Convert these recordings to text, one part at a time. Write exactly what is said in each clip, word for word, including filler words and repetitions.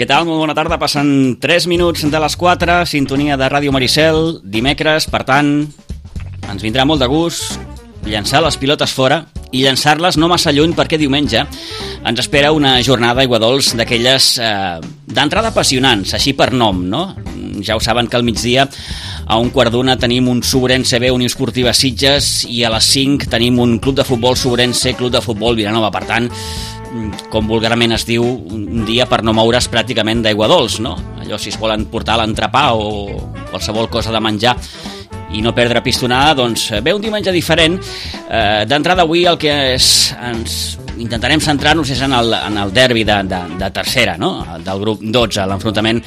Què tal? Molt bona tarda. Passen tres minuts de les quatre, sintonia de Ràdio Maricel, dimecres, per tant, ens vindrà molt de gust llançar les pilotes fora i llançar-les no massa lluny perquè diumenge ens espera una jornada a Aiguadols d'aquelles eh, d'entrada apassionants, així per nom, no? Ja ho saben que al migdia a un quart d'una tenim un Sobrense B, Unió Esportiva Sitges, i a les cinc tenim un club de futbol Sobrense, club de futbol Vilanova. Per tant, com vulgarment es diu, un dia per no moure's pràcticament d'Aiguadols, no? Allò si es volen portar l'entrepà o qualsevol cosa de menjar i no perdre pistonada, doncs ve un diumenge diferent. Eh, D'entrada avui el que és, ens intentarem centrar-nos és en el, en el derbi de, de, de tercera, no? Del grup dotze, l'enfrontament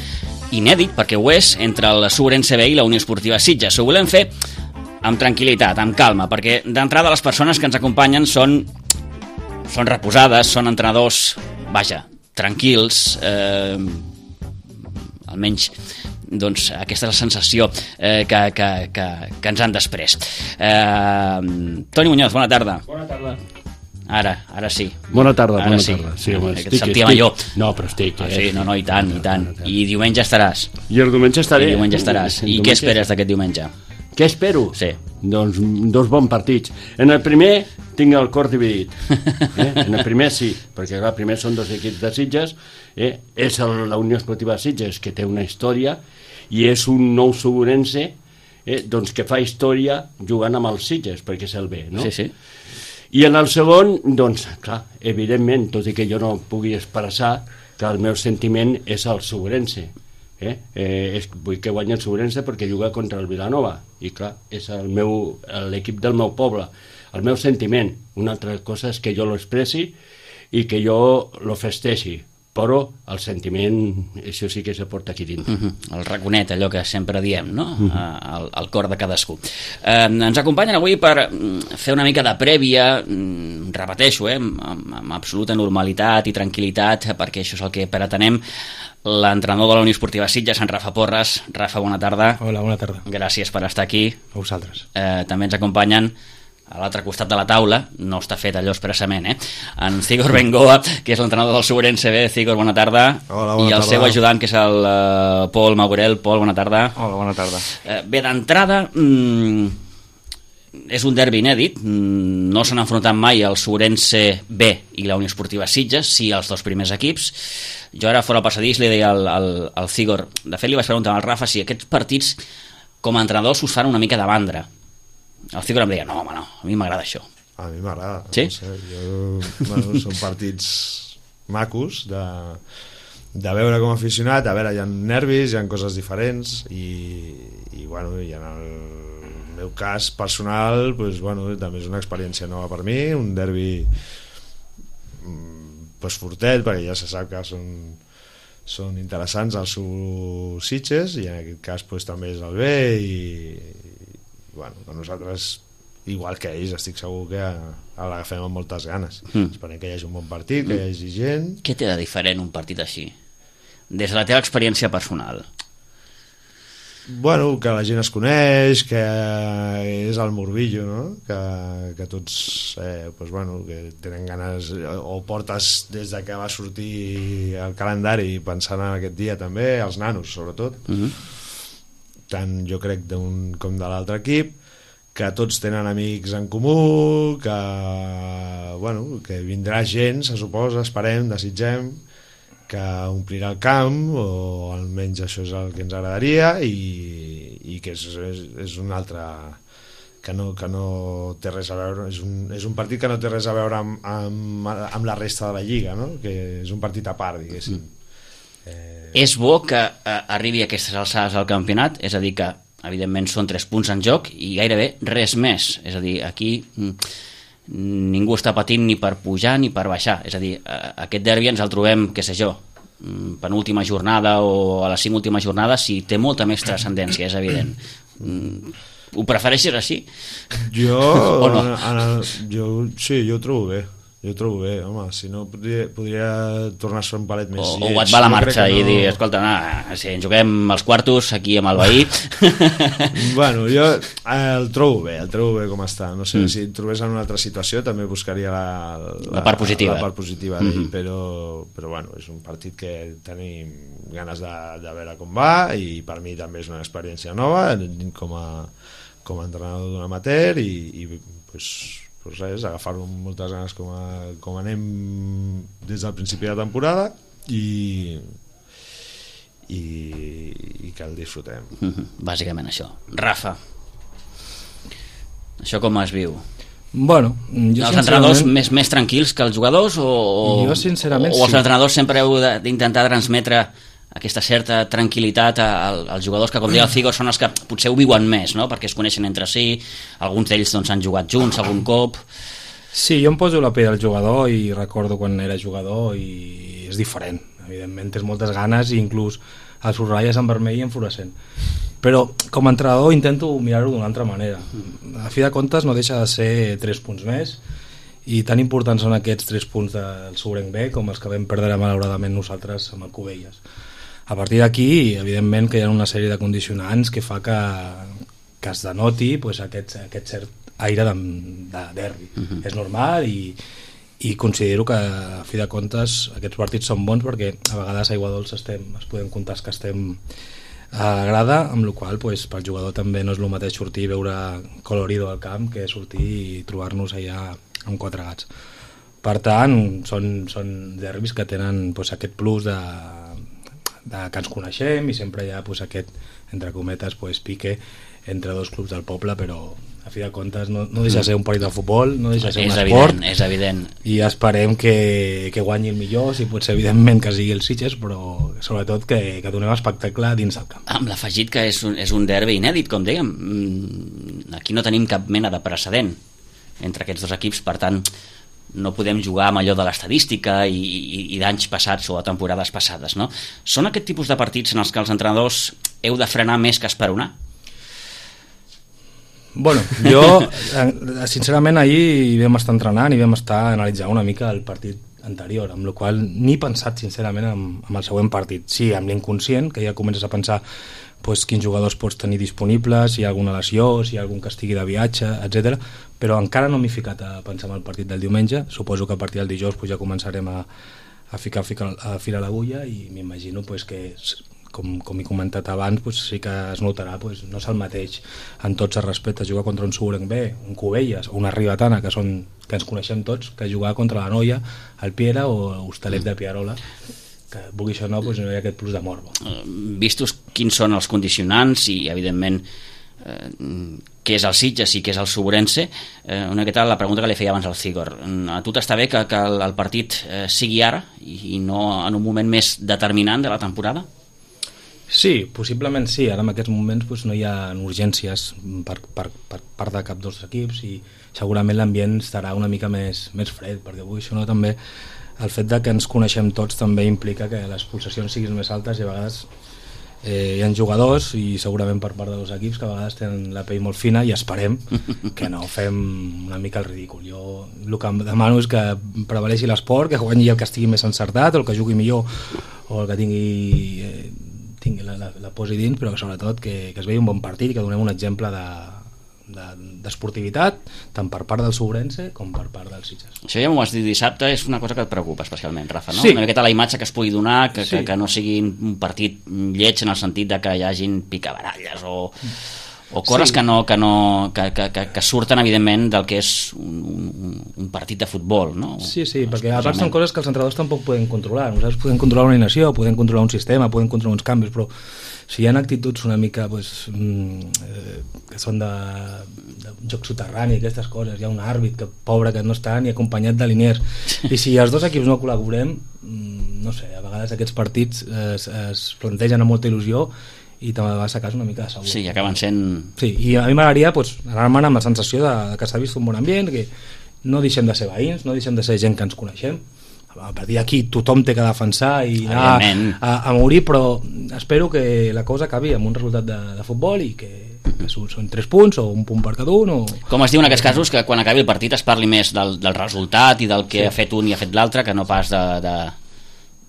inèdit, perquè ho és, entre el Sobrense B i la Unió Esportiva Sitges. Ho volem fer amb tranquil·litat, amb calma, perquè d'entrada les persones que ens acompanyen són, són reposades, són entrenadors, vaja, tranquils, eh, almenys doncs aquesta és la sensació eh, que, que, que, que ens han després. Eh, Toni Muñoz, bona tarda. Bona tarda. Ara, ara sí. Bona tarda, ara bona sí. tarda. Sí, home, que estic, et sentia estic. millor. No, però estic. Ah, Eh? sí, no, no, i tant, i tant. I diumenge estaràs. I el diumenge estaré. I diumenge estaràs. I què esperes d'aquest diumenge? Què espero? Sí. Doncs dos bons partits. En el primer tinc el cor dividit. Eh? En el primer sí, perquè el primer són dos equips de Sitges. Eh? És el, la Unió Esportiva Sitges, que té una història, i és un nou Sobrense eh? doncs que fa història jugant amb els Sitges, perquè és el B, no? Sí, sí. I en el segon, doncs, clar, evidentment, tot i que jo no pugui expressar que el meu sentiment és el Sobrense. Eh? Eh, és, vull que guanyi el Sobrense perquè juga contra el Vilanova. I clar, és el meu, l'equip del meu poble. El meu sentiment. Una altra cosa és que jo l'expressi i que jo lo festeixi. Però el sentiment, això sí que se porta aquí dintre. Uh -huh. El raconet, allò que sempre diem, no? Uh -huh. el, el cor de cadascú. Eh, ens acompanyen avui per fer una mica de prèvia, repeteixo, eh, amb, amb absoluta normalitat i tranquil·litat, perquè això és el que pretenem, l'entrenador de la Unió Esportiva Sitges, en Rafa Porres. Rafa, bona tarda. Hola, bona tarda. Gràcies per estar aquí. A vosaltres. Eh, també ens acompanyen a l'altre costat de la taula, no està fet allò expressament, eh? En Cigor Bengoa, que és l'entrenador del Sobrense B. Cigor, bona tarda. Hola, bona I el tarda. seu ajudant, que és el uh, Pol Maurel. Pol, bona tarda. Hola, bona tarda. Eh, bé, d'entrada, mm, és un derbi inèdit. Mm, no s'han enfrontat mai el Sobrense B i la Unió Esportiva Sitges, sí els dos primers equips. Jo ara fora al passadís li deia al, al, al Cigor, de fet li vaig preguntar al Rafa si aquests partits com a entrenadors us fan una mica de mandra. El Cigor em deia, no, home, no, a mi m'agrada això. A mi m'agrada. Sí? No sé, jo, bueno, són partits macos de, de veure com a aficionat. A veure, hi ha nervis, hi ha coses diferents i, i bueno, i en el meu cas personal pues, bueno, també és una experiència nova per mi, un derbi pues, fortet, perquè ja se sap que són, són interessants els seus Sitges i en aquest cas pues, també és el B i bueno, nosaltres, igual que ells, estic segur que l'agafem amb moltes ganes. Mm. Esperem que hi hagi un bon partit, que hi hagi gent. Què té de diferent un partit així? Des de la teva experiència personal. Bueno, que la gent es coneix, que és el morbillo, no? Que, que tots eh, pues bueno, que tenen ganes, o portes des de que va sortir el calendari pensant en aquest dia també, els nanos sobretot. Mm-hmm. Tant jo crec d'un com de l'altre equip, que tots tenen amics en comú, que, bueno, que vindrà gent, se suposa, esperem, desitgem, que omplirà el camp, o almenys això és el que ens agradaria, i, i que és, és, és un altre... Que no, que no té res a veure, és un, és un partit que no té res a veure amb, amb, amb la resta de la Lliga, no? Que és un partit a part, diguéssim. Mm. Eh... És bo que eh, arribi a aquestes alçades al campionat, és a dir que evidentment són tres punts en joc i gairebé res més, és a dir, aquí ningú està patint ni per pujar ni per baixar, és a dir, aquest derbi ens el trobem, què sé jo, penúltima jornada o a les cinc últimes jornades, si té molta més transcendència, és evident. Ho prefereixes així? Jo, o no? en el, jo sí, jo ho trobo bé. Jo ho trobo bé, home, si no podria, podria tornar a ser un palet més o, lleig. O et va la marxa no... i dir, escolta, nah, si ens juguem els quartos aquí amb el veí. Bueno, jo el trobo bé, el trobo bé com està. No sé, mm. si et trobés en una altra situació també buscaria la, la, la part positiva, la part positiva d'ell, mm-hmm. però, però bueno, és un partit que tenim ganes de, de veure com va i per mi també és una experiència nova com a, com a entrenador d'un amateur i, i pues, pues res, agafar-ho amb moltes ganes com, a, com anem des del principi de la temporada i, i, i que el disfrutem. Mm-hmm. Bàsicament això. Rafa, això com es viu? Bueno, jo els entrenadors més, més tranquils que els jugadors o, jo sincerament o els sí. entrenadors sempre heu d'intentar transmetre aquesta certa tranquil·litat als jugadors que, com deia el Figo, són els que potser ho viuen més, no? Perquè es coneixen entre si, alguns d'ells doncs, han jugat junts algun cop. Sí, jo em poso la pell del jugador i recordo quan era jugador i és diferent, evidentment tens moltes ganes i inclús els subratlles en vermell i en fluorescent, però com a entrenador intento mirar-ho d'una altra manera. A fi de comptes no deixa de ser tres punts més i tan importants són aquests tres punts del Sobrenc B com els que vam perdre malauradament nosaltres amb el Cubelles. A partir d'aquí, evidentment que hi ha una sèrie de condicionants que fa que, que es denoti pues, aquest, aquest cert aire de, de derbi. Uh-huh. És normal i, i considero que a fi de comptes aquests partits són bons perquè a vegades a Aiguadols estem, es podem comptar que estem a la grada, amb la qual cosa pues, pel jugador també no és el mateix sortir i veure colorido al camp que sortir i trobar-nos allà amb quatre gats. Per tant, són, són derbis que tenen pues, aquest plus de de que ens coneixem i sempre hi ha pues, aquest, entre cometes, pues, pique entre dos clubs del poble, però a fi de comptes no, no deixa de ser un partit de futbol, no deixa de ser és un evident, esport, és evident. I esperem que, que guanyi el millor, si pot ser evidentment que sigui el Sitges, però sobretot que, que donem espectacle dins el camp. Amb l'afegit que és un, és un derbi inèdit, com dèiem, aquí no tenim cap mena de precedent entre aquests dos equips, per tant no podem jugar amb allò de l'estadística i, i, i d'anys passats o de temporades passades, no? Són aquest tipus de partits en els que els entrenadors heu de frenar més que esperonar? Bueno, jo sincerament ahir vam estar entrenant i vam estar analitzant una mica el partit anterior, amb la qual ni he pensat sincerament amb, amb el següent partit. Sí, amb l'inconscient, que ja comences a pensar pues, quins jugadors pots tenir disponibles, si hi ha alguna lesió, si hi ha algun que estigui de viatge, etcètera. Però encara no m'he ficat a pensar en el partit del diumenge. Suposo que a partir del dijous pues, ja començarem a, a ficar a filar l'agulla i m'imagino pues, que, com, com he comentat abans, pues, sí que es notarà, pues, no és el mateix en tots els respectes jugar contra un Sobrenc B, un Cubelles o una Ribetana, que, són, que ens coneixem tots, que jugar contra la Noia, el Piera o l'Hostalet de Pierola, que vulgui això no, doncs no hi ha aquest plus de morbo. Vistos quins són els condicionants i evidentment eh, què és el Sitges i què és el Sobrense, eh, una miqueta la pregunta que li feia abans al Cigor, a tu t'està bé que, que el, el partit eh, sigui ara i, i no en un moment més determinant de la temporada? Sí, possiblement sí, ara en aquests moments doncs, no hi ha urgències per, per, per part de cap dels equips i segurament l'ambient estarà una mica més, més fred, perquè avui això no també el fet de que ens coneixem tots també implica que les pulsacions siguin més altes i a vegades eh, hi ha jugadors i segurament per part dels equips que a vegades tenen la pell molt fina i esperem que no fem una mica el ridícul. Jo el que em demano és que prevaleixi l'esport, que guanyi el que estigui més encertat, el que jugui millor o el que tingui, eh, tingui la, la, la posi dins, però que sobretot que, que es vegi un bon partit i que donem un exemple de d'esportivitat tant per part del Sobrense com per part del Sitges. Això ja m'ho has dit dissabte, és una cosa que et preocupa especialment, Rafa, no? Sí. Una miqueta la imatge que es pugui donar, que, sí. que, que no sigui un partit lleig en el sentit de que hi hagin picabaralles o, o coses sí. que, no, que, no, que, que, que, que surten evidentment del que és un, un, un partit de futbol, no? Sí, sí, perquè a part són coses que els entrenadors tampoc poden controlar. Nosaltres podem controlar una alineació, podem controlar un sistema, podem controlar uns canvis, però si hi ha actituds una mica pues, eh, que són de, de joc soterrani, aquestes coses, hi ha un àrbit que pobre que no està ni acompanyat de liniers, i si els dos equips no col·laborem, no sé, a vegades aquests partits es, es plantegen amb molta il·lusió i també va a casa una mica de segur. Sí, acaben sent... Sí, i a mi m'agradaria pues, anar-me'n amb la sensació de, de que s'ha vist un bon ambient, que no deixem de ser veïns, no deixem de ser gent que ens coneixem. A partir d'aquí tothom té que defensar i anar a, a morir, però espero que la cosa acabi amb un resultat de, de futbol i que, que són tres punts o un punt per cada un o... Com es diu en aquests casos, que quan acabi el partit es parli més del, del resultat i del que sí. ha fet un i ha fet l'altre, que no pas de... de...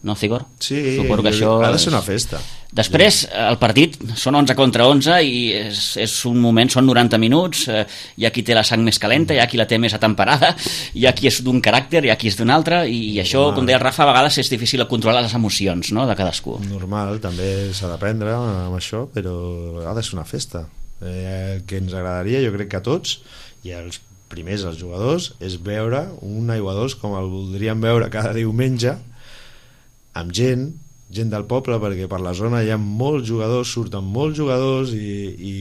No, Cigor? Sí, suposo que això ha de ser una festa. Després, el partit són onze contra onze i és, és un moment, són noranta minuts, eh, hi ha qui té la sang més calenta, hi ha qui la té més atemperada, hi ha qui és d'un caràcter, hi ha qui és d'un altre, i, i això, com deia el Rafa, a vegades és difícil controlar les emocions, no?, de cadascú. Normal, també s'ha d'aprendre amb això, però ha de ser una festa. Eh, el que ens agradaria, jo crec que a tots, i als primers, als jugadors, és veure un aiguadors com el voldríem veure cada diumenge, amb gent, gent del poble, perquè per la zona hi ha molts jugadors, surten molts jugadors i, i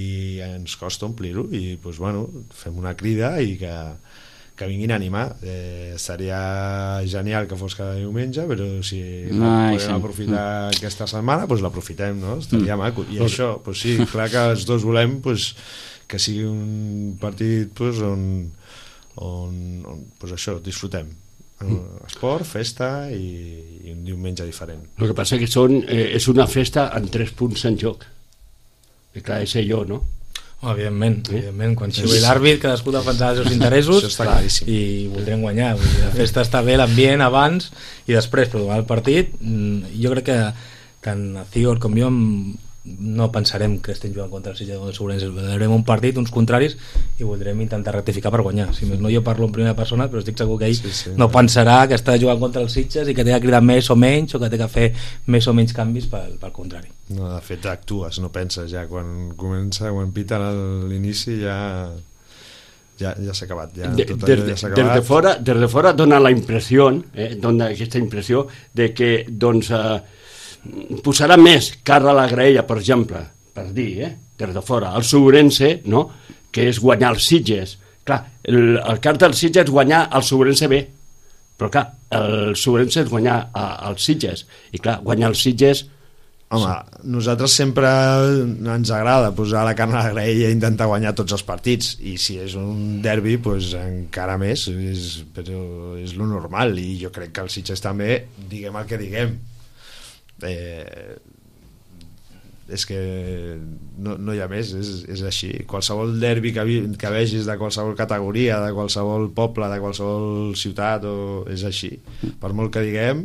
ens costa omplir-ho i doncs, bueno, fem una crida i que, que vinguin a animar. Eh, seria genial que fos cada diumenge, però si no podem sí. aprofitar aquesta setmana, doncs l'aprofitem, no? Estaria mm. maco. I mm. això, doncs sí, clar que els dos volem doncs, que sigui un partit doncs, on, on, on doncs això, disfrutem. Esport, festa i, i un diumenge diferent. El que passa que són, eh, és una festa amb tres punts en joc. I clar, és allò, no? Oh, evidentment, eh? evidentment. Quan sigui l'àrbit, cadascú defensarà els seus interessos i voldrem guanyar. Vull dir, la festa està bé, l'ambient abans i després, però durant el partit jo crec que tant a Cigor com jo no pensarem que estem jugant contra el Sitges o el Segurense, veurem un partit, uns contraris i voldrem intentar rectificar per guanyar. Si més no, jo parlo en primera persona, però estic segur que ell sí, sí, no pensarà que està jugant contra el Sitges i que té que cridar més o menys o que té que fer més o menys canvis pel, pel contrari. No, de fet actues, no penses ja, quan comença, quan pita l'inici ja ja, ja s'ha acabat, ja, de, tot allò ja s'ha acabat. Des de fora, des de fora dona la impressió, eh, dona aquesta impressió de que doncs eh, posarà més cara a la graella, per exemple, per dir, eh, des de fora, el Segurense, no?, que és guanyar els Sitges. Clar, el, el cas del Sitges és guanyar el Segurense bé, però clar, el Segurense és guanyar els Sitges, i clar, guanyar els Sitges... Home, nosaltres sempre ens agrada posar la carn a la graella i intentar guanyar tots els partits, i si és un derbi, doncs encara més, és, però és lo normal, i jo crec que els Sitges també, diguem el que diguem, Eh, és que no, no hi ha més, és, és així. Qualsevol derbi que, vi, que vegis de qualsevol categoria, de qualsevol poble, de qualsevol ciutat, o, és així. Per molt que diguem,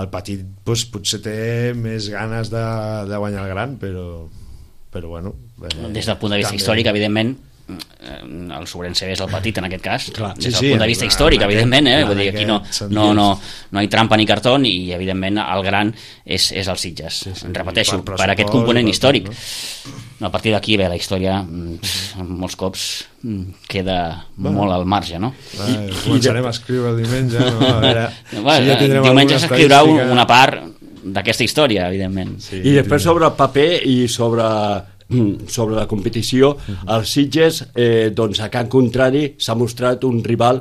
el petit doncs, potser té més ganes de, de guanyar el gran, però, però bueno, eh, des del punt de vista també... històric, evidentment el Segurense és el petit en aquest cas. Clar, des del sí, punt de vista sí, històric, evidentment, eh? Vull dir, aquí no, aquest, no, no, no hi trampa ni cartó, i evidentment el gran és, és el Sitges. Sí, sí, repeteixo, per, per aquest component històric. No? A partir d'aquí, bé, la història molts cops queda bueno. molt al marge, no? Va, començarem a escriure el diumenge, no? A veure, bueno, si ja diumenge s'escriurà una part d'aquesta història, evidentment. Sí, I després sobre el paper i sobre... sobre la competició, el Sitges eh, doncs a Can Contrari s'ha mostrat un rival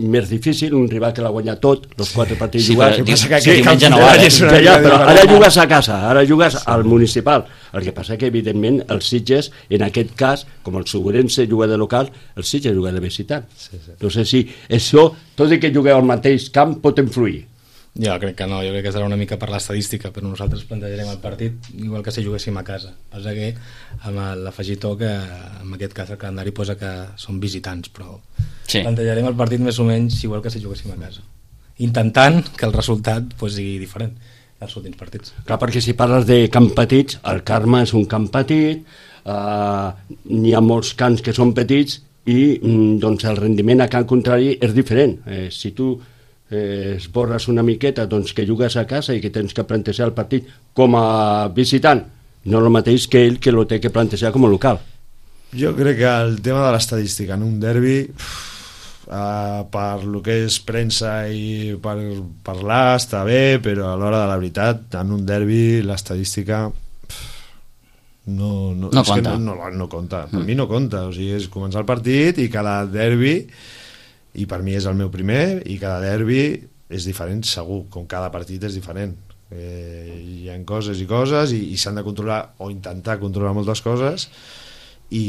més difícil, un rival que l'ha guanyat tot, els quatre partits sí, jugats. Que, que, sí, que no ara, ja, ja, però ara jugues a casa, ara jugues al municipal. El que passa que, evidentment, el Sitges, en aquest cas, com el Segurense juga de local, el Sitges juga de visitant. Sí, sí. No sé si això, tot i que jugueu al mateix camp, pot influir. Jo crec que no, jo crec que serà una mica per l'estadística, però nosaltres plantejarem el partit igual que si juguéssim a casa. Passa que amb l'afegitó que en aquest cas el calendari posa que són visitants, però sí. plantejarem el partit més o menys igual que si juguéssim a casa, intentant que el resultat pues, sigui diferent dels últims partits. Clar, perquè si parles de camp petits, el Carme és un camp petit, eh, n'hi ha molts camps que són petits i doncs, el rendiment a camp contrari és diferent. Eh, si tu eh, esborres una miqueta doncs, que jugues a casa i que tens que plantejar el partit com a visitant, no el mateix que ell que lo té que plantejar com a local. Jo crec que el tema de l'estadística en un derbi uh, per lo que és premsa i per parlar està bé, però a l'hora de la veritat en un derbi l'estadística no, no, no és compta, que no, no, no compta. Per mm. mi no compta, o sigui, és començar el partit i cada derbi, i per mi és el meu primer, i cada derbi és diferent segur, com cada partit és diferent. Eh, hi ha coses i coses i, i s'han de controlar o intentar controlar moltes coses i,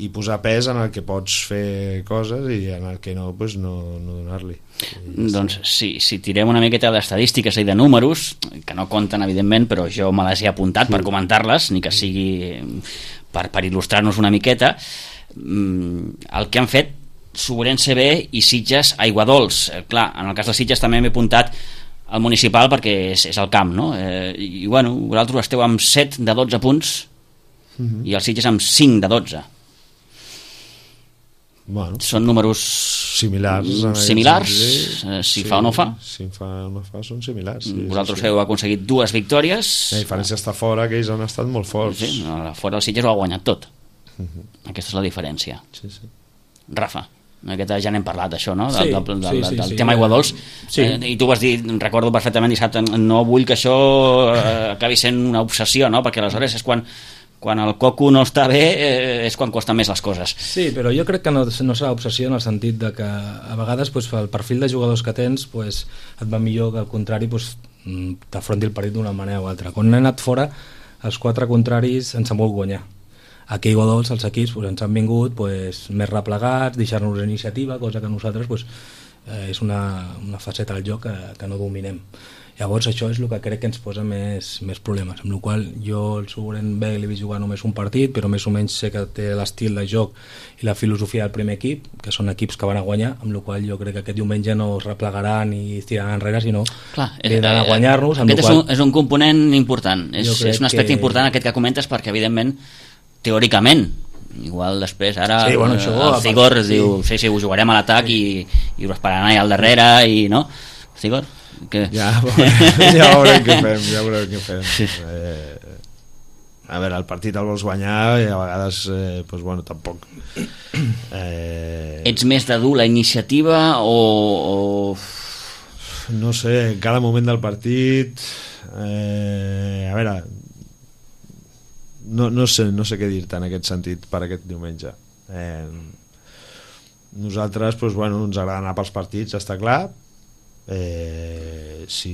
i posar pes en el que pots fer coses i en el que no, pues no, no donar-li. Doncs si, si tirem una miqueta d'estadístiques i de números, que no compten evidentment, però jo me les he apuntat sí. per comentar-les, ni que sigui per, per il·lustrar-nos una miqueta, el que han fet Sobrense B i Sitges Aiguadols. Eh, clar, en el cas de Sitges també m'he apuntat al municipal perquè és, és el camp, no? Eh, i bueno, vosaltres esteu amb set de dotze punts uh-huh. i el Sitges amb cinc de dotze. Bueno, són números similars, similars eh, si sí, fa o no fa. Si fa o no fa són similars. Sí, vosaltres sí, sí. heu aconseguit dues victòries. La diferència està fora, que ells han estat molt forts. Sí, fora el Sitges ho ha guanyat tot. Uh-huh. Aquesta és la diferència. Sí, sí. Rafa, aquesta ja n'hem parlat, això, no? Del, sí, del, del, sí, sí, del sí, tema Aiguadols. Sí. Eh, I tu vas dir, recordo perfectament dissabte, no vull que això eh, acabi sent una obsessió, no? Perquè aleshores és quan, quan el coco no està bé, eh, és quan costen més les coses. Sí, però jo crec que no, no serà obsessió en el sentit de que a vegades pues, el perfil de jugadors que tens pues, et va millor que al contrari pues, t'afronti el partit d'una manera o altra. Quan hem anat fora, els quatre contraris ens han volgut guanyar. Aquí a Aiguadols els equips pues, ens han vingut pues, més replegats, deixar-nos la iniciativa, cosa que nosaltres pues, eh, és una, una faceta del joc que, que no dominem. Llavors això és el que crec que ens posa més, més problemes, amb la qual jo el Sobren B l'he vist jugar només un partit, però més o menys sé que té l'estil de joc i la filosofia del primer equip, que són equips que van a guanyar, amb la qual jo crec que aquest diumenge no es replegaran i es tiraran enrere, sinó Clar, eh, a guanyar-nos. Aquest és un, és un component important, és, és un aspecte que... important aquest que comentes, perquè evidentment teòricament, igual després ara sí, bueno, això, el Cigor sí. diu, sí, sí, ho jugarem a l'atac sí. i, i ho esperaran allà al darrere i no, Cigor? Que... Ja, ja veurem què fem, ja veurem què fem. Sí. Eh, a veure, el partit el vols guanyar i a vegades, eh, doncs, bueno, tampoc. Eh... Ets més de dur la iniciativa o, o... No sé, en cada moment del partit... Eh, a veure... No, no, sé, no sé què dir-te en aquest sentit per aquest diumenge. Eh, nosaltres, doncs, bueno, ens agrada anar pels partits, està clar. Eh, si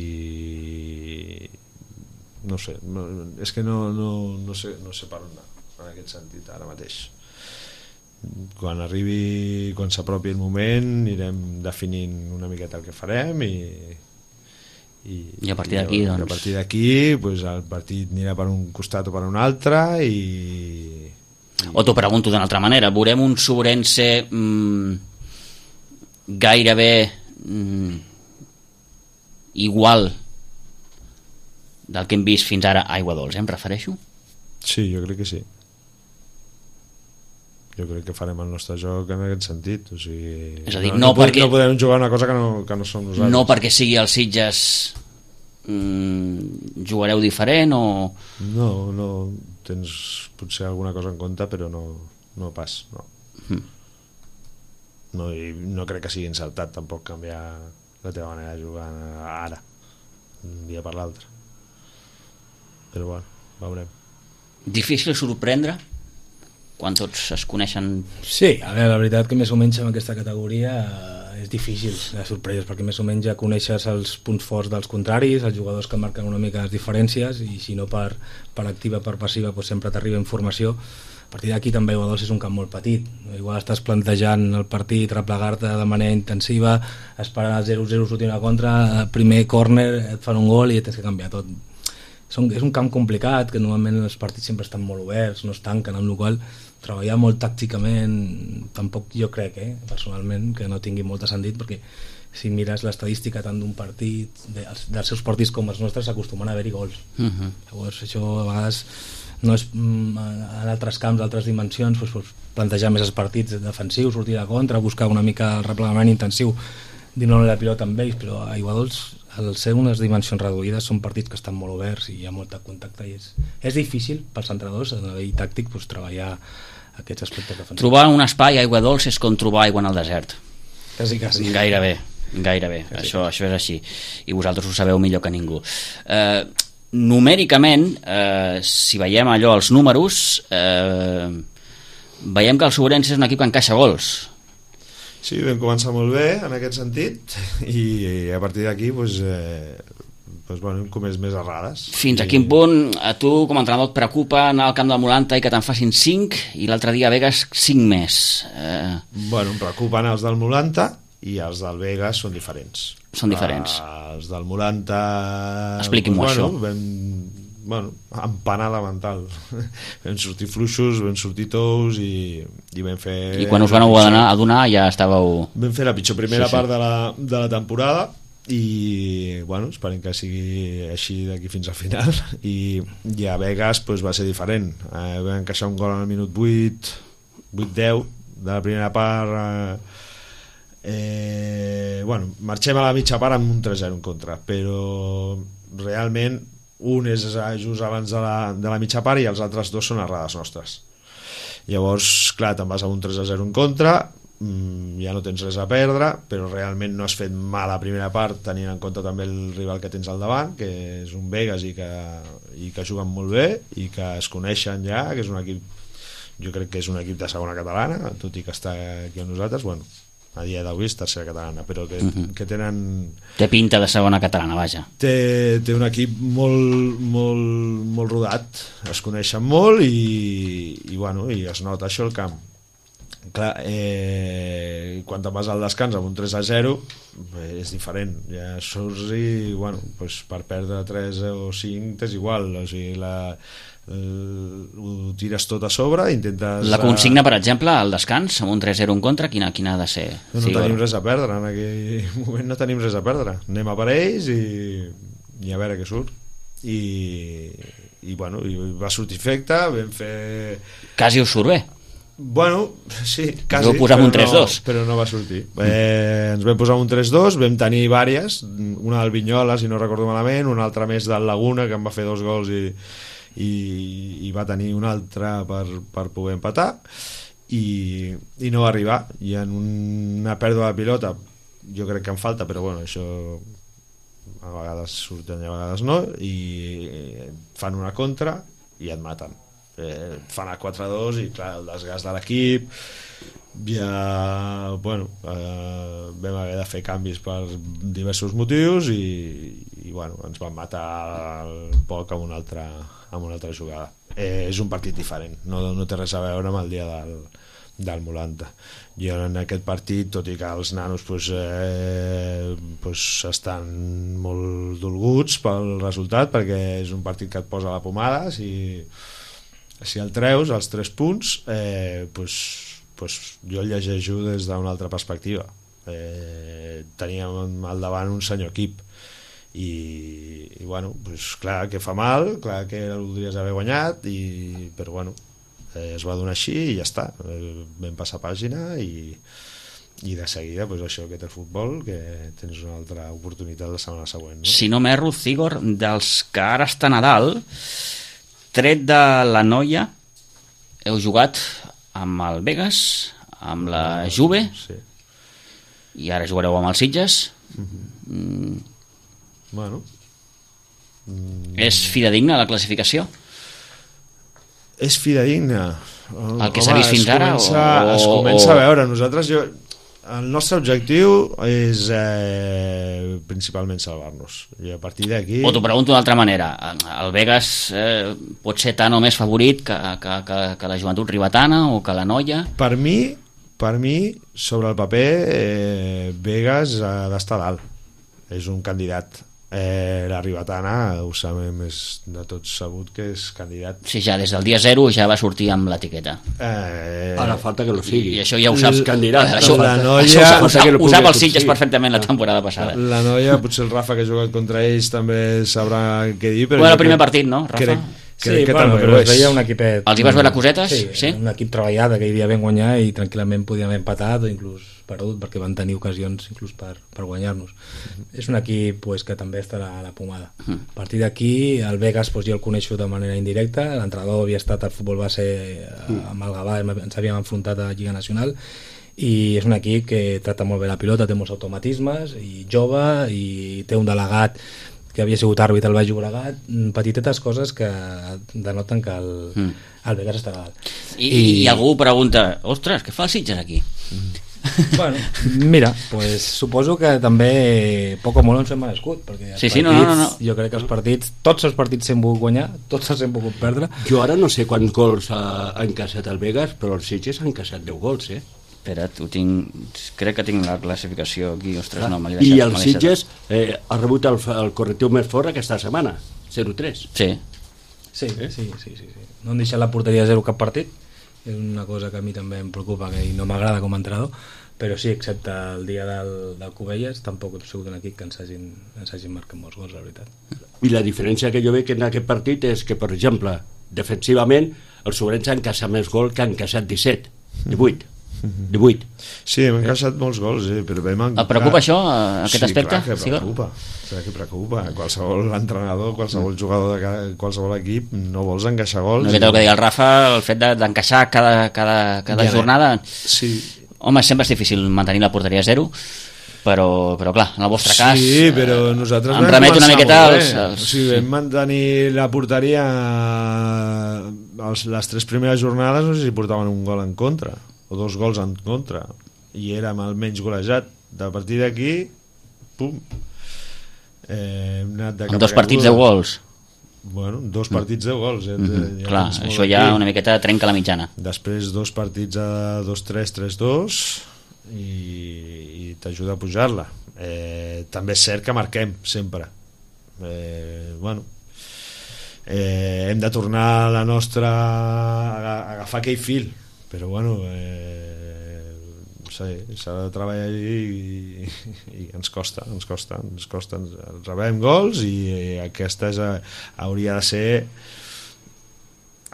no sé no, és que no, no, no, sé, no sé per on anar en aquest sentit ara mateix. Quan arribi, quan s'apropi el moment anirem definint una miqueta el que farem i i, i a partir d'aquí doncs... a partir d'aquí pues, el partit anirà per un costat o per un altre i, i... o t'ho pregunto d'una altra manera, veurem un Sobrense mmm, gairebé mmm, igual del que hem vist fins ara a Aiguadols, eh, em refereixo? Sí, jo crec que sí. Jo crec que farem el nostre joc en aquest sentit. O sigui, és a dir, no, no, no, perquè... no podem jugar una cosa que no, que no som nosaltres. No perquè sigui el Sitges mmm, jugareu diferent o... No, no, tens potser alguna cosa en compte, però no, no pas, no. Mm. No, i no crec que sigui encertat tampoc canviar la teva manera de jugar ara un dia per l'altre, però bueno, veurem. Difícil sorprendre quan tots es coneixen? Sí, a veure, la veritat que més o menys en aquesta categoria és difícil de sorpreses, perquè més o menys ja coneixes els punts forts dels contraris, els jugadors que marquen una mica les diferències, i si no per, per activa, per passiva, doncs sempre t'arriba informació. A partir d'aquí també Aiguadols és un camp molt petit, igual estàs plantejant el partit, replegar-te de manera intensiva, esperar el zero zero sortir una contra, primer córner et fan un gol i tens que canviar tot. És un camp complicat, que normalment els partits sempre estan molt oberts, no es tanquen, amb la qual treballar molt tàcticament tampoc jo crec, eh, personalment, que no tingui molt de sentit, perquè si mires l'estadística tant d'un partit, de, dels seus partits com els nostres, s'acostumen a haver-hi gols. Uh-huh. Llavors això a vegades no és en altres camps, altres dimensions, doncs, doncs, plantejar més els partits defensius, sortir de contra, buscar una mica el replegament intensiu, dir-ne la pilota amb ells, però a Aiguadols, al ser unes dimensions reduïdes, són partits que estan molt oberts i hi ha molt de contacte i és, és difícil pels entrenadors a nivell tàctic doncs, treballar aquests aspectes defensius. Trobar un espai a Aiguadols és com trobar aigua en el desert. Quasi, quasi. Gairebé, gairebé, quasi. Això, això és així i vosaltres ho sabeu millor que ningú. Eh, numèricament, eh, si veiem allò els números, eh, veiem que el Sobrense és un equip que encaixa gols. Sí, vam començar molt bé en aquest sentit i, i a partir d'aquí doncs, eh, doncs, bueno, hem comès més errades. Fins I... a quin punt a tu com a entrenador et preocupa anar al camp del Molanta i que te'n facin cinc i l'altre dia a Begues cinc més? Eh... Bueno, em preocupen els del Molanta i els del Begues són diferents. Són diferents. Uh, els del Molanta... Expliqui'm-ho, doncs, això. Bueno, vam, bueno, empanada mental. Vam sortir fluixos, vam sortir tous i, i vam fer... I quan us van adonar, adonar ja estàveu... Vam fer la pitjor primera sí, sí. part de la, de la temporada i bueno, esperem que sigui així d'aquí fins al final i, i a Vegas pues, va ser diferent, eh, vam encaixar un gol al minut vuit vuit deu de la primera part eh, eh, bueno, marxem a la mitja part amb un tres zero en contra, però realment un és just abans de la, de la mitja part i els altres dos són errades nostres. Llavors, clar, te'n vas a un tres a zero en contra, ja no tens res a perdre, però realment no has fet mal a la primera part tenint en compte també el rival que tens al davant, que és un Vegas i que, i que juguen molt bé i que es coneixen ja, que és un equip, jo crec que és un equip de segona catalana, tot i que està aquí amb nosaltres, bueno, a dia d'avui és tercera catalana, però que, uh-huh. que tenen... Té pinta de segona catalana, vaja. Té, té un equip molt, molt, molt rodat, es coneixen molt i, i, bueno, i es nota això al camp. Clar, eh, quan te'n vas al descans amb un tres a zero eh, és diferent, ja surts i bueno, pues per perdre tres o cinc t'és igual, o sigui la, el, ho tires tot a sobre, intentes... La consigna, per exemple, al descans amb un tres zero en contra, quina, quina ha de ser? No, no sí, tenim res a perdre en aquell moment, no tenim res a perdre, anem a per ells i, i a veure què surt i, i bueno, i va sortir efecte, vam fer... Quasi us surt bé. Bueno, sí, quasi, però, un tres dos. No, però no va sortir. Eh, ens vam posar un tres dos, vam tenir vàries, una del Vinyola, si no recordo malament, una altra més del Laguna, que em va fer dos gols i, i, i va tenir una altra per, per poder empatar, i, i no va arribar. I en una pèrdua de pilota, jo crec que em falta, però bueno, això a vegades surten i a vegades no, i fan una contra i et maten. Eh, fan el quatre dos i clar, el desgast de l'equip ja, bueno eh, vam haver de fer canvis per diversos motius i, i bueno, ens van matar el poc amb una altra, amb una altra jugada. Eh, és un partit diferent, no, no té res a veure amb el dia del, del Molanta. Jo en aquest partit, tot i que els nanos pues, eh, pues estan molt dolguts pel resultat, perquè és un partit que et posa la pomada, si si el treus, els tres punts, eh, pues, pues jo el llegeixo des d'una altra perspectiva. Eh, teníem al davant un senyor equip i, i bueno, pues clar que fa mal, clar que el voldries haver guanyat, i, però bueno, eh, es va donar així i ja està. Eh, vam passar pàgina i, i de seguida pues això que té el futbol, que tens una altra oportunitat la setmana següent. No? Si no m'erro, Cigor, dels que ara està a Nadal, tret de la Noia, heu jugat amb el Vegas, amb la Juve, sí. I ara jugareu amb els Sitges. Mm-hmm. Mm. Bueno. Mm. És fidedigna la classificació? És fidedigna. El que s'ha vist fins ara? Comença, o, es comença o... a veure. Nosaltres, jo, el nostre objectiu és eh, principalment salvar-nos. I a partir d'aquí... O t'ho pregunto d'una altra manera. El Vegas eh, pot ser tan o més favorit que, que, que, que la Joventut Ribetana o que la Noia? Per mi, per mi sobre el paper, eh, Vegas ha d'estar dalt. És un candidat. Eh, la Ribetana ho sabem, és de tots sabut que és candidat. Sí, ja des del dia zero ja va sortir amb l'etiqueta. Eh, Ara falta que no sigui. I això ja ho saps. Candidat. Això, la Noia, això ho, ho, sap, ho sap els sí. Sitges perfectament la temporada passada. La Noia, potser el Rafa que ha jugat contra ells també sabrà què dir, però bueno, el primer partit, no, Rafa? Crec, Sí, crec que bueno, també però ho es és. veia un equipet... Els hi vas veure cosetes? Sí, sí? Un equip treballat, aquell dia vam guanyar i tranquil·lament podíem haver empatat o inclús perdut, perquè van tenir ocasions inclús per, per guanyar-nos. Mm-hmm. És un equip pues, que també estarà a la pomada. Mm. A partir d'aquí, el Vegas pues, jo el coneixo de manera indirecta, l'entrenador havia estat al futbol base mm. amb el Gavà, ens havíem enfrontat a Lliga Nacional, i és un equip que tracta molt bé la pilota, té molts automatismes, i jove, i té un delegat que havia sigut àrbitre al Baix Llobregat, petitetes coses que denoten que el, mm. el Vegas està dalt. I, I, I algú pregunta, ostres, què fa el Sitges aquí? Mm. Bueno, mira, pues, suposo que també poc o molt ens hem merescut, perquè els sí, partits, sí, no, no, no. jo crec que els partits, tots els partits s'hem pogut guanyar, tots els hem pogut perdre. Jo ara no sé quants gols ha, ha encaixat el Vegas, però el Sitges ha encaixat deu gols, eh? Espera't, ho tinc... crec que tinc la classificació aquí, ostres, ah, no, me l'he deixat. I el Sitges eh, ha rebut el, el correctiu més fort aquesta setmana, zero tres. Sí. Sí, eh? sí, sí, sí, sí. No han deixat la porteria a zero cap partit, és una cosa que a mi també em preocupa que no m'agrada com a entrenador, però sí, excepte el dia del, del Cubelles, tampoc he sigut un equip que ens hagin, ens hagin marcat molts gols, la veritat. I la diferència que jo veig en aquest partit és que, per exemple, defensivament, el Sobrense ha encaixat més gol que ha encaixat disset, divuit. divuit. Sí, hem encaixat molts gols, eh, però vam... Et preocupa això, aquest sí, aspecte? Clar que preocupa, clar que preocupa. Qualsevol entrenador, qualsevol jugador de cada, qualsevol equip, no vols encaixar gols. No, que el que deia el Rafa, el fet d'encaixar de, cada, cada, cada ja, jornada... Sí. Home, sempre és difícil mantenir la porteria a zero, però, però clar, en el vostre sí, cas... Sí, però nosaltres em remet una miqueta als... als... O sigui, vam mantenir la porteria els, les tres primeres jornades, no sé si portaven un gol en contra o dos gols en contra, i érem el menys golejat. De partir d'aquí, pum, eh, hem anat de en dos partits de gols. Bueno, dos partits de gols. Eh? Mm-hmm. Ja clar, això ja aquí. Una miqueta trenca la mitjana. Després dos partits a dos tres, tres dos, i, i t'ajuda a pujar-la. Eh, també és cert que marquem sempre. Eh, bueno, eh, hem de tornar a la nostra a agafar aquell fil, però bueno, eh, s'ha de treballar i, i ens costa, ens costa, ens costa, ens rebem gols, i aquesta és, hauria de ser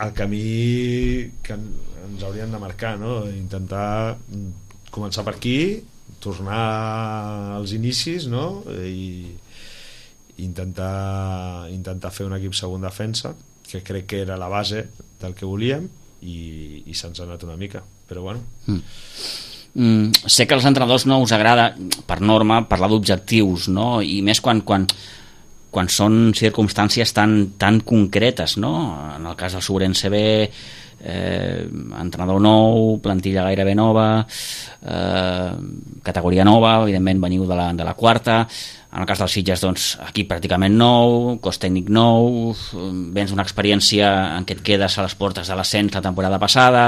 el camí que ens haurien de marcar, no? Intentar començar per aquí, tornar als inicis, no? I intentar, intentar fer un equip segon defensa, que crec que era la base del que volíem, i, i se'ns ha anat una mica, però bueno. Mm. Mm, sé que als entrenadors no us agrada, per norma, parlar d'objectius, no? I més quan, quan, quan són circumstàncies tan, tan concretes, no? En el cas del Sobrense B, eh, entrenador nou, plantilla gairebé nova, eh, categoria nova, evidentment veniu de la, de la quarta. En el cas dels Sitges, doncs, aquí pràcticament nou, cos tècnic nou, vens una experiència en què et quedes a les portes de l'ascens la temporada passada.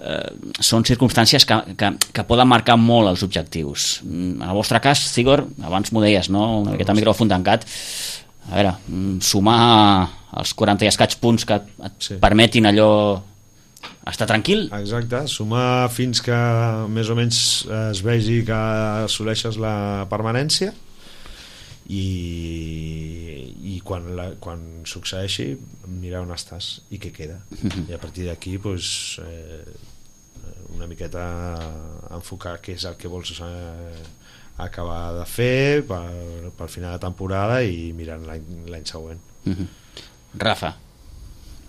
Eh, són circumstàncies que, que, que poden marcar molt els objectius. En el vostre cas, Cigor, abans m'ho deies, no? Una miqueta el micròfon tancat. A veure, sumar els quaranta i escaig punts que et sí. permetin allò estar tranquil. Exacte, sumar fins que més o menys es vegi que assoleixes la permanència, i, i quan, la, quan succeeixi mirar on estàs i què queda, i a partir d'aquí pues, eh, una miqueta enfocar què és el que vols eh, acabar de fer per, per final de temporada i mirant l'any següent. Rafa.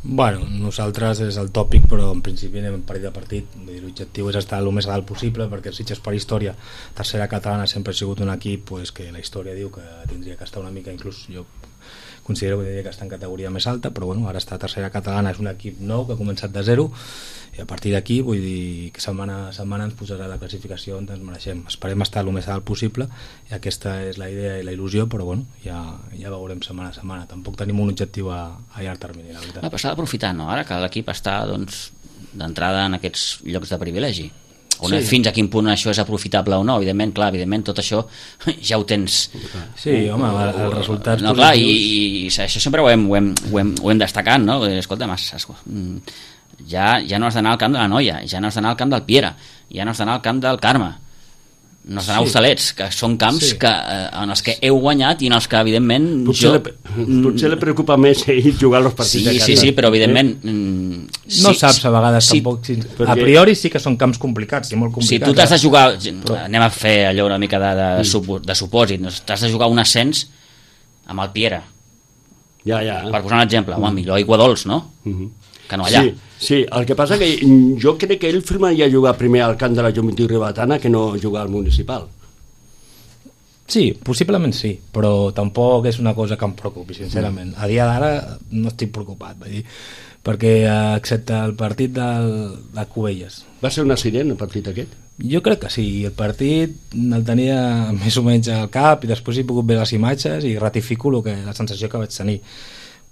Bueno, nosaltres és el tòpic, però en principi anem partit a partit. L'objectiu és estar el més a dalt possible, perquè els Sitges, per història, tercera catalana sempre ha sigut un equip pues, que la història diu que tindria que estar una mica, inclús jo considero que tindria que estar en categoria més alta, però bueno, ara està a tercera catalana, és un equip nou que ha començat de zero, i a partir d'aquí vull dir que setmana a setmana ens posarà la classificació on ens mereixem. Esperem estar el més a dalt possible, i aquesta és la idea i la il·lusió, però bueno, ja, ja veurem setmana a setmana. Tampoc tenim un objectiu a, a llarg termini, la veritat. Ah, però s'ha d'aprofitar, no? Ara que l'equip està doncs, d'entrada en aquests llocs de privilegi. On sí. Fins a quin punt això és aprofitable o no, evidentment, clar, evidentment tot això ja ho tens. Sí, home, els resultats no, clar, i, i això sempre ho hem, ho hem, ho hem, ho hem destacat, no? Escolta'm, ja, ja no has d'anar al camp de la Noia, ja no has d'anar al camp del Piera, ja no has d'anar al camp del Carme, no has d'anar a Hostalets, que són camps sí. que, eh, en els que heu guanyat i en els que evidentment potser, jo... le, potser le preocupa més ell jugar els partits sí, de casa. Sí, sí, però evidentment eh? no sí, saps a vegades sí, tampoc sí, perquè... a priori sí que són camps complicats i molt complicats. Si tu t'has de jugar però... anem a fer allò una mica de, de, mm. de supòsit, t'has de jugar un ascens amb el Piera ja, ja. per posar un exemple, mm. home, millor aigua dolç, no? Mm-hmm. Que no allà. Sí, sí, el que passa que jo crec que ell firmaria jugar primer al camp de la Joventut Ribetana que no jugar al municipal. Sí, possiblement sí, però tampoc és una cosa que em preocupi, sincerament. A dia d'ara no estic preocupat, vull dir, perquè excepte el partit del, de Cubelles. Va ser un accident el partit aquest? Jo crec que sí, el partit el tenia més o menys al cap i després he pogut veure les imatges i ratifico el que, la sensació que vaig tenir.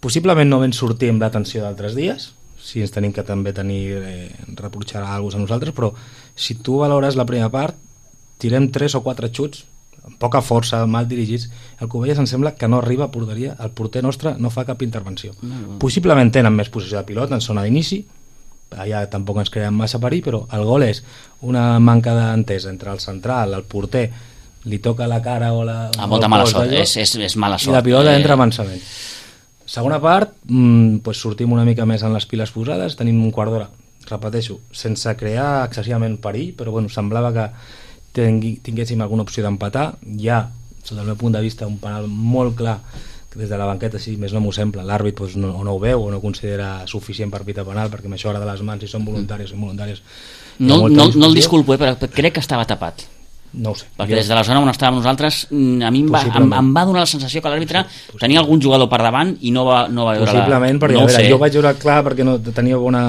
Possiblement no vam sortir amb l'atenció d'altres dies, si ens tenim que també tenir eh, reprotxar alguna cosa a nosaltres, però si tu valores la primera part, tirem tres o quatre xuts amb poca força, mal dirigits. El Cubelles em sembla que no arriba a porteria, el porter nostre no fa cap intervenció. Mm. Possiblement tenen més posició de pilota en zona d'inici, allà tampoc ens creen massa perill, però el gol és una manca d'entesa entre el central, el porter, li toca la cara o la... Ah, molta mala sort, és, és, és mala sort. I la pilota eh... entra avançament. Segona part, mmm, pues sortim una mica més en les piles posades, tenim un quart d'hora, repeteixo, sense crear excessivament perill, però bueno, semblava que tingui, tinguéssim alguna opció d'empatar. Hi ha, sota el meu punt de vista, un penal molt clar, que des de la banqueta, si més no m'ho sembla, l'àrbit pues, no, o no ho veu o no considera suficient per pitar penal, perquè amb això ara de les mans, si són voluntàries o involuntàries... No, no, no el disculpo, eh, però crec que estava tapat. No ho sé. Perquè des de la zona on estàvem nosaltres, a mi em va, em, em va donar la sensació que l'àrbitre tenia algun jugador per davant i no va, no va veure possiblement, la... perquè no a veure, sé. jo vaig veure clar perquè no tenia bona,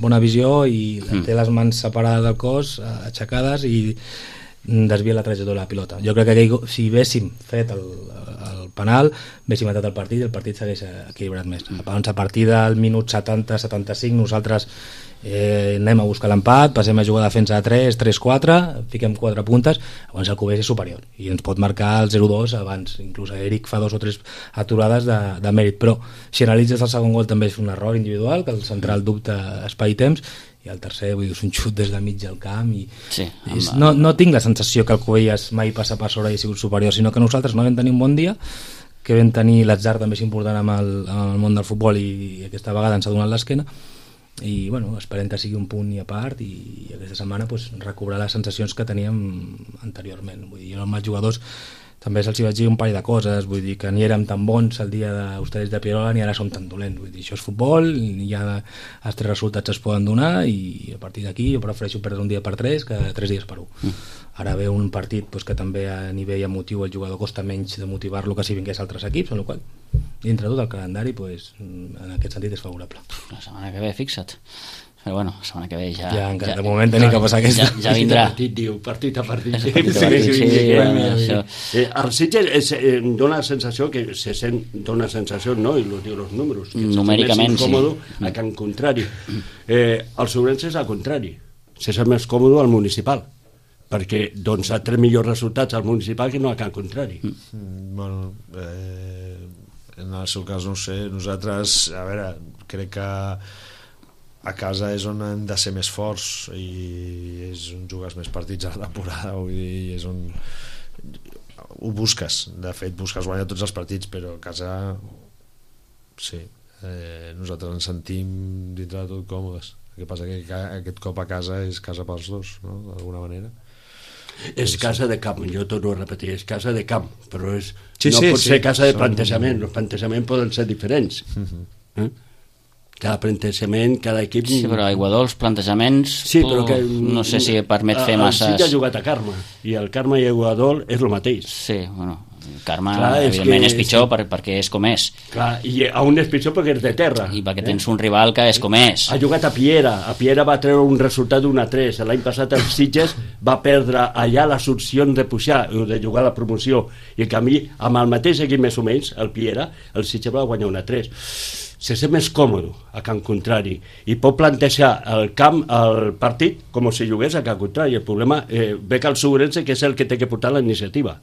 bona visió i mm. té les mans separades del cos, aixecades, i desvia la trajectòria de la pilota. Jo crec que aquell, si haguéssim fet el, el penal, haguéssim matat el partit i el partit s'hagués equilibrat més. Llavors, a partir del minut setanta setanta-cinc nosaltres eh, anem a buscar l'empat, passem a jugar a defensa de tres, tres quatre, fiquem quatre puntes, llavors el Cubelles és superior i ens pot marcar el zero dos abans, inclús Eric fa dos o tres aturades de, de mèrit, però si analitzes el segon gol també és un error individual, que el central dubta espai i temps, i el tercer, vull dir, és un xut des de mig del camp i sí, és, no, no tinc la sensació que el Cubelles mai passa per sobre i ha sigut superior, sinó que nosaltres no vam tenir un bon dia, que vam tenir l'atzar també és important amb el, amb el món del futbol i, i aquesta vegada ens ha donat l'esquena i bueno, esperem que sigui un punt i a part i, i aquesta setmana pues, recobrar les sensacions que teníem anteriorment. Vull dir, jo amb els jugadors també se'ls vaig dir un parell de coses, vull dir que ni érem tan bons el dia d'Hostalets de Pierola ni ara som tan dolents, vull dir, això és futbol i ja els tres resultats es poden donar i a partir d'aquí jo prefereixo perdre un dia per tres que tres dies per un. Mm. Ara ve un partit pues, que també a nivell emotiu el jugador costa menys de motivar-lo que si vingués altres equips, amb la qual dintre tot el calendari pues, en aquest sentit és favorable. La setmana que ve, fixa't. Però bueno, la setmana que ve ja... Ja, encara, ja de moment tenim ja, que passar aquesta. Ja, ja vindrà. Partit, diu, partit a partit. Sí, partit a partit, sí, sí, bueno, això. Eh, el Sitges és, eh, dona la sensació que se sent, dona la sensació, no? I los diu els números. Que numèricament, sí. A Can Contrari. Eh, el Sobrense és al contrari. Se sent més còmode al municipal. Perquè doncs ha tres millors resultats al municipal que no a Can Contrari. Mm, bueno, eh, en el seu cas no ho sé. Nosaltres, a veure, crec que a casa és on hem de ser més forts i és on jugues més partits a la temporada, vull dir, és on ho busques, de fet busques guanyar tots els partits, però a casa sí, eh, nosaltres ens sentim dintre de tot còmodes. El que passa que aquest cop a casa és casa pels dos, no? D'alguna manera és casa de camp, jo torno a repetir, és casa de camp, però és, sí, no sí, pot sí, ser casa de són... plantejament, els plantejaments poden ser diferents. Uh-huh. eh? Cada plantejament, cada equip... Sí, però a Aiguadols, plantejaments... Sí, però que... No sé si permet fer masses... El Sitges ha jugat a Carme, i el Carme i Aiguadol és el mateix. Sí, bueno, el Carme, clar, és evidentment, que... és pitjor per, perquè és com és. Clar, i a un és pitjor perquè és de terra. I perquè tens un rival que és com és. Ha jugat a Piera, a Piera va treure un resultat d'un a tres. L'any passat el Sitges va perdre allà les opcions de pujar, de jugar a la promoció, i en canvi, amb el mateix equip més o menys, el Piera, el Sitges va guanyar un a tres. Se sent més còmode a Can Contrari i pot plantejar el camp, el partit, com si jugués a Can Contrari. El problema eh, ve que el Sobrense, que és el que té que portar la iniciativa.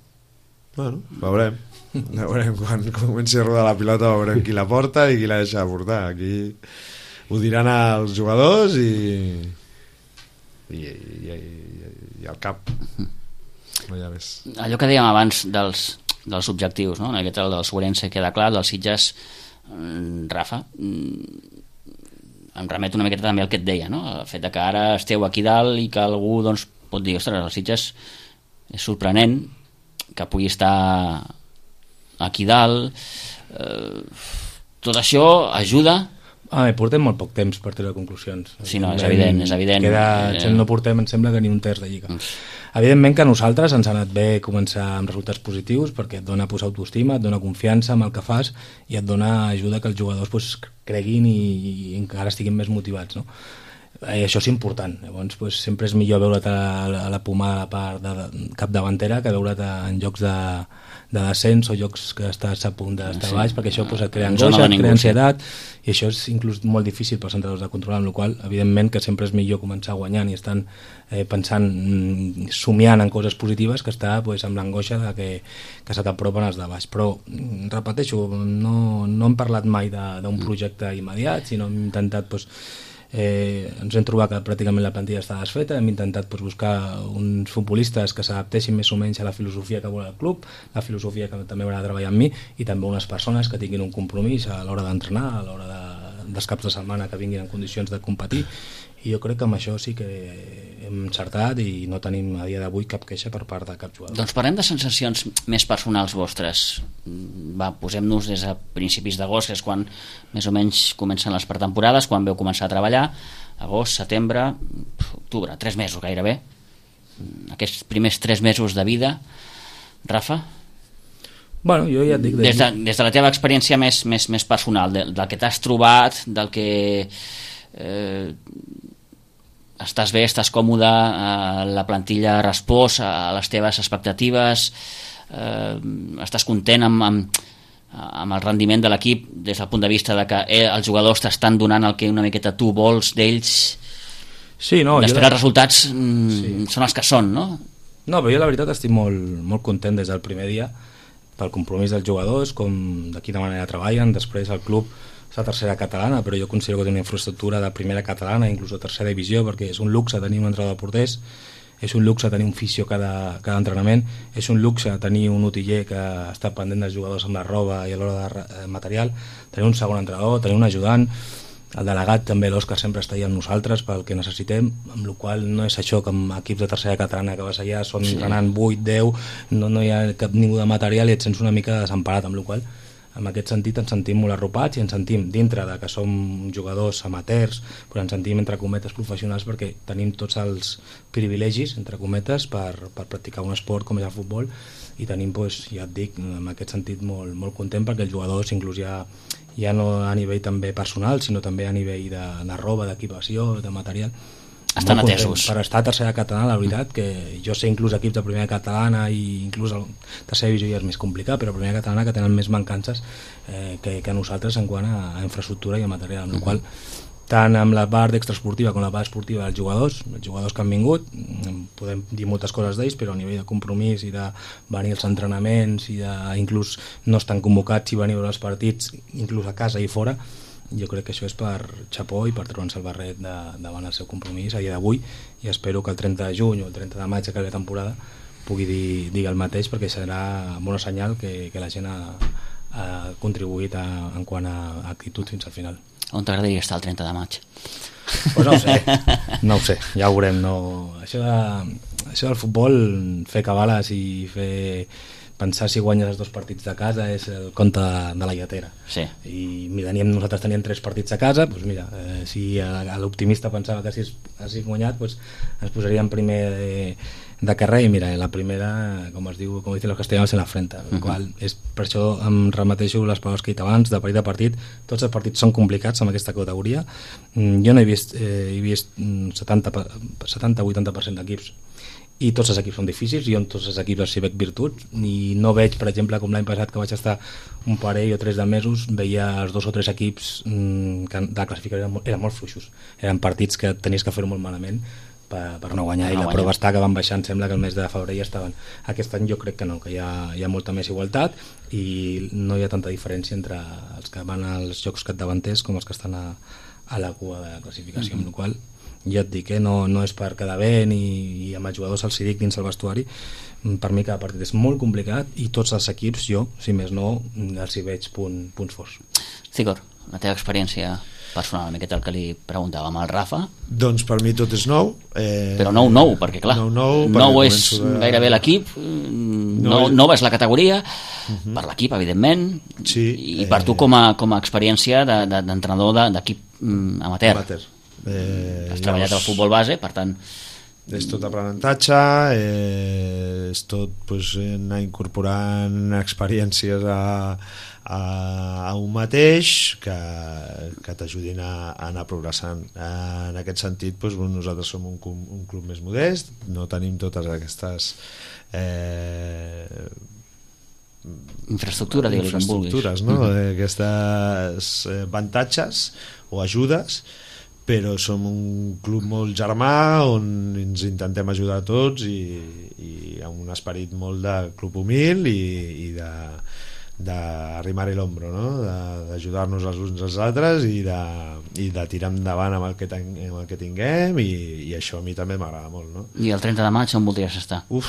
Bueno, veurem. Veurem quan comenci a rodar la pilota, veurem qui la porta i qui la deixa de portar. Aquí ho diran els jugadors i i, i, i, i el cap. No hi ha més. Allò que dèiem abans dels, dels objectius, no? Aquest el del Sobrense queda clar, del Sitges, Rafa, em remet una miqueta també al que et deia, no? El fet de que ara esteu aquí dalt i que algú doncs, pot dir, ostres, el Sitges és sorprenent que pugui estar aquí dalt, eh, tot això ajuda. Ah, portem molt poc temps per treure conclusions. Sí, no, és evident, és evident. Queda, no portem, em sembla que ni un terç de lliga. Evidentment que a nosaltres ens ha anat bé començar amb resultats positius perquè et dona pues, autoestima, et dona confiança amb el que fas i et dona ajuda que els jugadors pues, creguin i, i encara estiguin més motivats, no? I això és important. Llavors pues, sempre és millor veure't a la, a la pomada a la part de, de capdavantera que veure't en llocs de, de descens o llocs que estàs a punt d'estar Sí. baix, perquè això pues, et crea Zona angoixa, de et ningú, crea sí. ansietat, i això és inclús molt difícil pels entrenadors de controlar, amb la qual cosa, evidentment, que sempre és millor començar guanyant i estan eh, pensant, mm, somiant en coses positives, que estar pues, amb l'angoixa de que, que se t'apropen els de baix. Però, mm, repeteixo, no, no hem parlat mai de- d'un projecte immediat, sinó hem intentat pues, Eh, ens hem trobat que pràcticament la plantilla està desfeta, hem intentat pues, buscar uns futbolistes que s'adaptessin més o menys a la filosofia que vol el club, la filosofia que també haurà de treballar amb mi, i també unes persones que tinguin un compromís a l'hora d'entrenar, a l'hora de, dels caps de setmana que vinguin en condicions de competir, i jo crec que amb això sí que hem encertat i no tenim a dia d'avui cap queixa per part de cap jugador. Doncs parlem de sensacions més personals vostres. Va, posem-nos des a principis d'agost, que és quan més o menys comencen les pretemporades, quan veu començar a treballar, agost, setembre, octubre, tres mesos gairebé. Aquests primers tres mesos de vida, Rafa? Bueno, jo ja et dic... Des de, des de la teva experiència més, més, més personal, del, del que t'has trobat, del que... Eh, estàs bé, estàs còmode, eh, la plantilla ha respost a les teves expectatives, eh, estàs content amb, amb, amb el rendiment de l'equip des del punt de vista de que eh, els jugadors t'estan donant el que una miqueta tu vols d'ells. Sí, no, Després jo... els resultats mm, Sí. són els que són, no? No, però jo la veritat estic molt, molt content des del primer dia pel compromís dels jugadors, com de quina manera treballen. Després el club és la tercera catalana, però jo considero que té una infraestructura de primera catalana, inclús de tercera divisió, perquè és un luxe tenir un entrenador de porters, és un luxe tenir un fisio cada, cada entrenament, és un luxe tenir un utiller que està pendent dels jugadors amb la roba i a l'hora de eh, material, tenir un segon entrenador, tenir un ajudant, el delegat també, l'Òscar, sempre està allà amb nosaltres pel que necessitem, amb la qual no és això que amb equips de tercera catalana que vas allà, són sí. entrenant vuit, deu, no, no hi ha cap ningú de material i et sents una mica desemparat, amb la qual en aquest sentit ens sentim molt arropats i ens sentim dintre de que som jugadors amateurs, però ens sentim entre cometes professionals perquè tenim tots els privilegis, entre cometes, per, per practicar un esport com és el futbol, i tenim, doncs, ja et dic, en aquest sentit molt, molt content perquè els jugadors inclús ja, ja no a nivell també personal, sinó també a nivell de, de roba, d'equipació, de material, Estan molt atesos. content. Per estar a tercera catalana, la veritat, que jo sé inclús equips de primera catalana i inclús el tercera divisió ja és més complicat, però primera catalana que tenen més mancances eh, que, que nosaltres en quant a, a infraestructura i a material, amb la qual tant amb la part extraesportiva com la part esportiva dels jugadors, els jugadors que han vingut, podem dir moltes coses d'ells, però a nivell de compromís i de venir als entrenaments i de, inclús no estan convocats i venir a veure els partits, inclús a casa i fora, jo crec que això és per xapó i per treure'ns el barret de, davant el seu compromís a dia d'avui, i espero que el trenta de juny o el trenta de maig que acabi la temporada pugui dir, dir el mateix, perquè serà bona senyal que, que la gent ha, ha contribuït a, en quant a actitud fins al final. On t'agradaria estar el trenta de maig? Pues no ho sé, no ho sé, ja ho veurem. No. Això, de, això del futbol, fer cabales i fer pensar si guanyes els dos partits de casa és el conte de la lletera. Sí. I mira, teníem, nosaltres teníem tres partits a casa, doncs mira, eh, si l'optimista pensava que si hagués guanyat, doncs ens posaríem primer de, de carrer, i mira, la primera, com es diu, com dicen los castellanos, en la frente, uh -huh. qual és, per això em remeteixo les paraules que he dit abans, de partit a partit, tots els partits són complicats en aquesta categoria. Jo no he vist, eh, he vist setanta a vuitanta per cent d'equips i tots els equips són difícils, i on tots els equips els hi veig virtuts, i no veig, per exemple, com l'any passat que vaig estar un parell o tres de mesos, veia els dos o tres equips mmm, que de la classificació eren molt, eren molt fluixos, eren partits que tenies que fer-ho molt malament per, per no guanyar, no i la guanyar. Prova està que van baixar, em sembla que el mes de febrer ja estaven. Aquest any jo crec que no, que hi ha, hi ha molta més igualtat i no hi ha tanta diferència entre els que van als jocs capdavanters com els que estan a, a la cua de la classificació, mm-hmm. amb la qual jo et dic, eh, no, no és per quedar bé ni, i amb els jugadors els dic dins el vestuari, per mi cada partit és molt complicat i tots els equips, jo, si més no, els hi veig punt, punts forts. Cigor, la teva experiència personal, aquest el que li preguntàvem al Rafa. Doncs per mi tot és nou, eh... però nou nou, perquè clar nou, nou, nou és de... gairebé l'equip, nou, és... nou és la categoria, uh-huh. per l'equip evidentment, sí, i per eh... tu com a, com a experiència de, de, d'entrenador de, d'equip mm, amateur, amateur. Eh, has treballat al futbol base, per tant és tot aprenentatge, eh, és tot pues, anar incorporant experiències a, a, a un mateix que, que t'ajudin a, a anar progressant. En aquest sentit, pues, nosaltres som un, un club més modest, no tenim totes aquestes eh, infraestructura, digue-li com vulguis. Infraestructures, no? Mm-hmm. Aquestes eh, avantatges o ajudes, però som un club molt germà on ens intentem ajudar tots i, i amb un esperit molt de club humil i, i de d'arrimar-hi l'ombro, no? D'ajudar-nos els uns als altres i de, i de tirar endavant amb el que, ten, amb el que tinguem i, i això a mi també m'agrada molt, no? I el trenta de maig on voldries estar? Uf,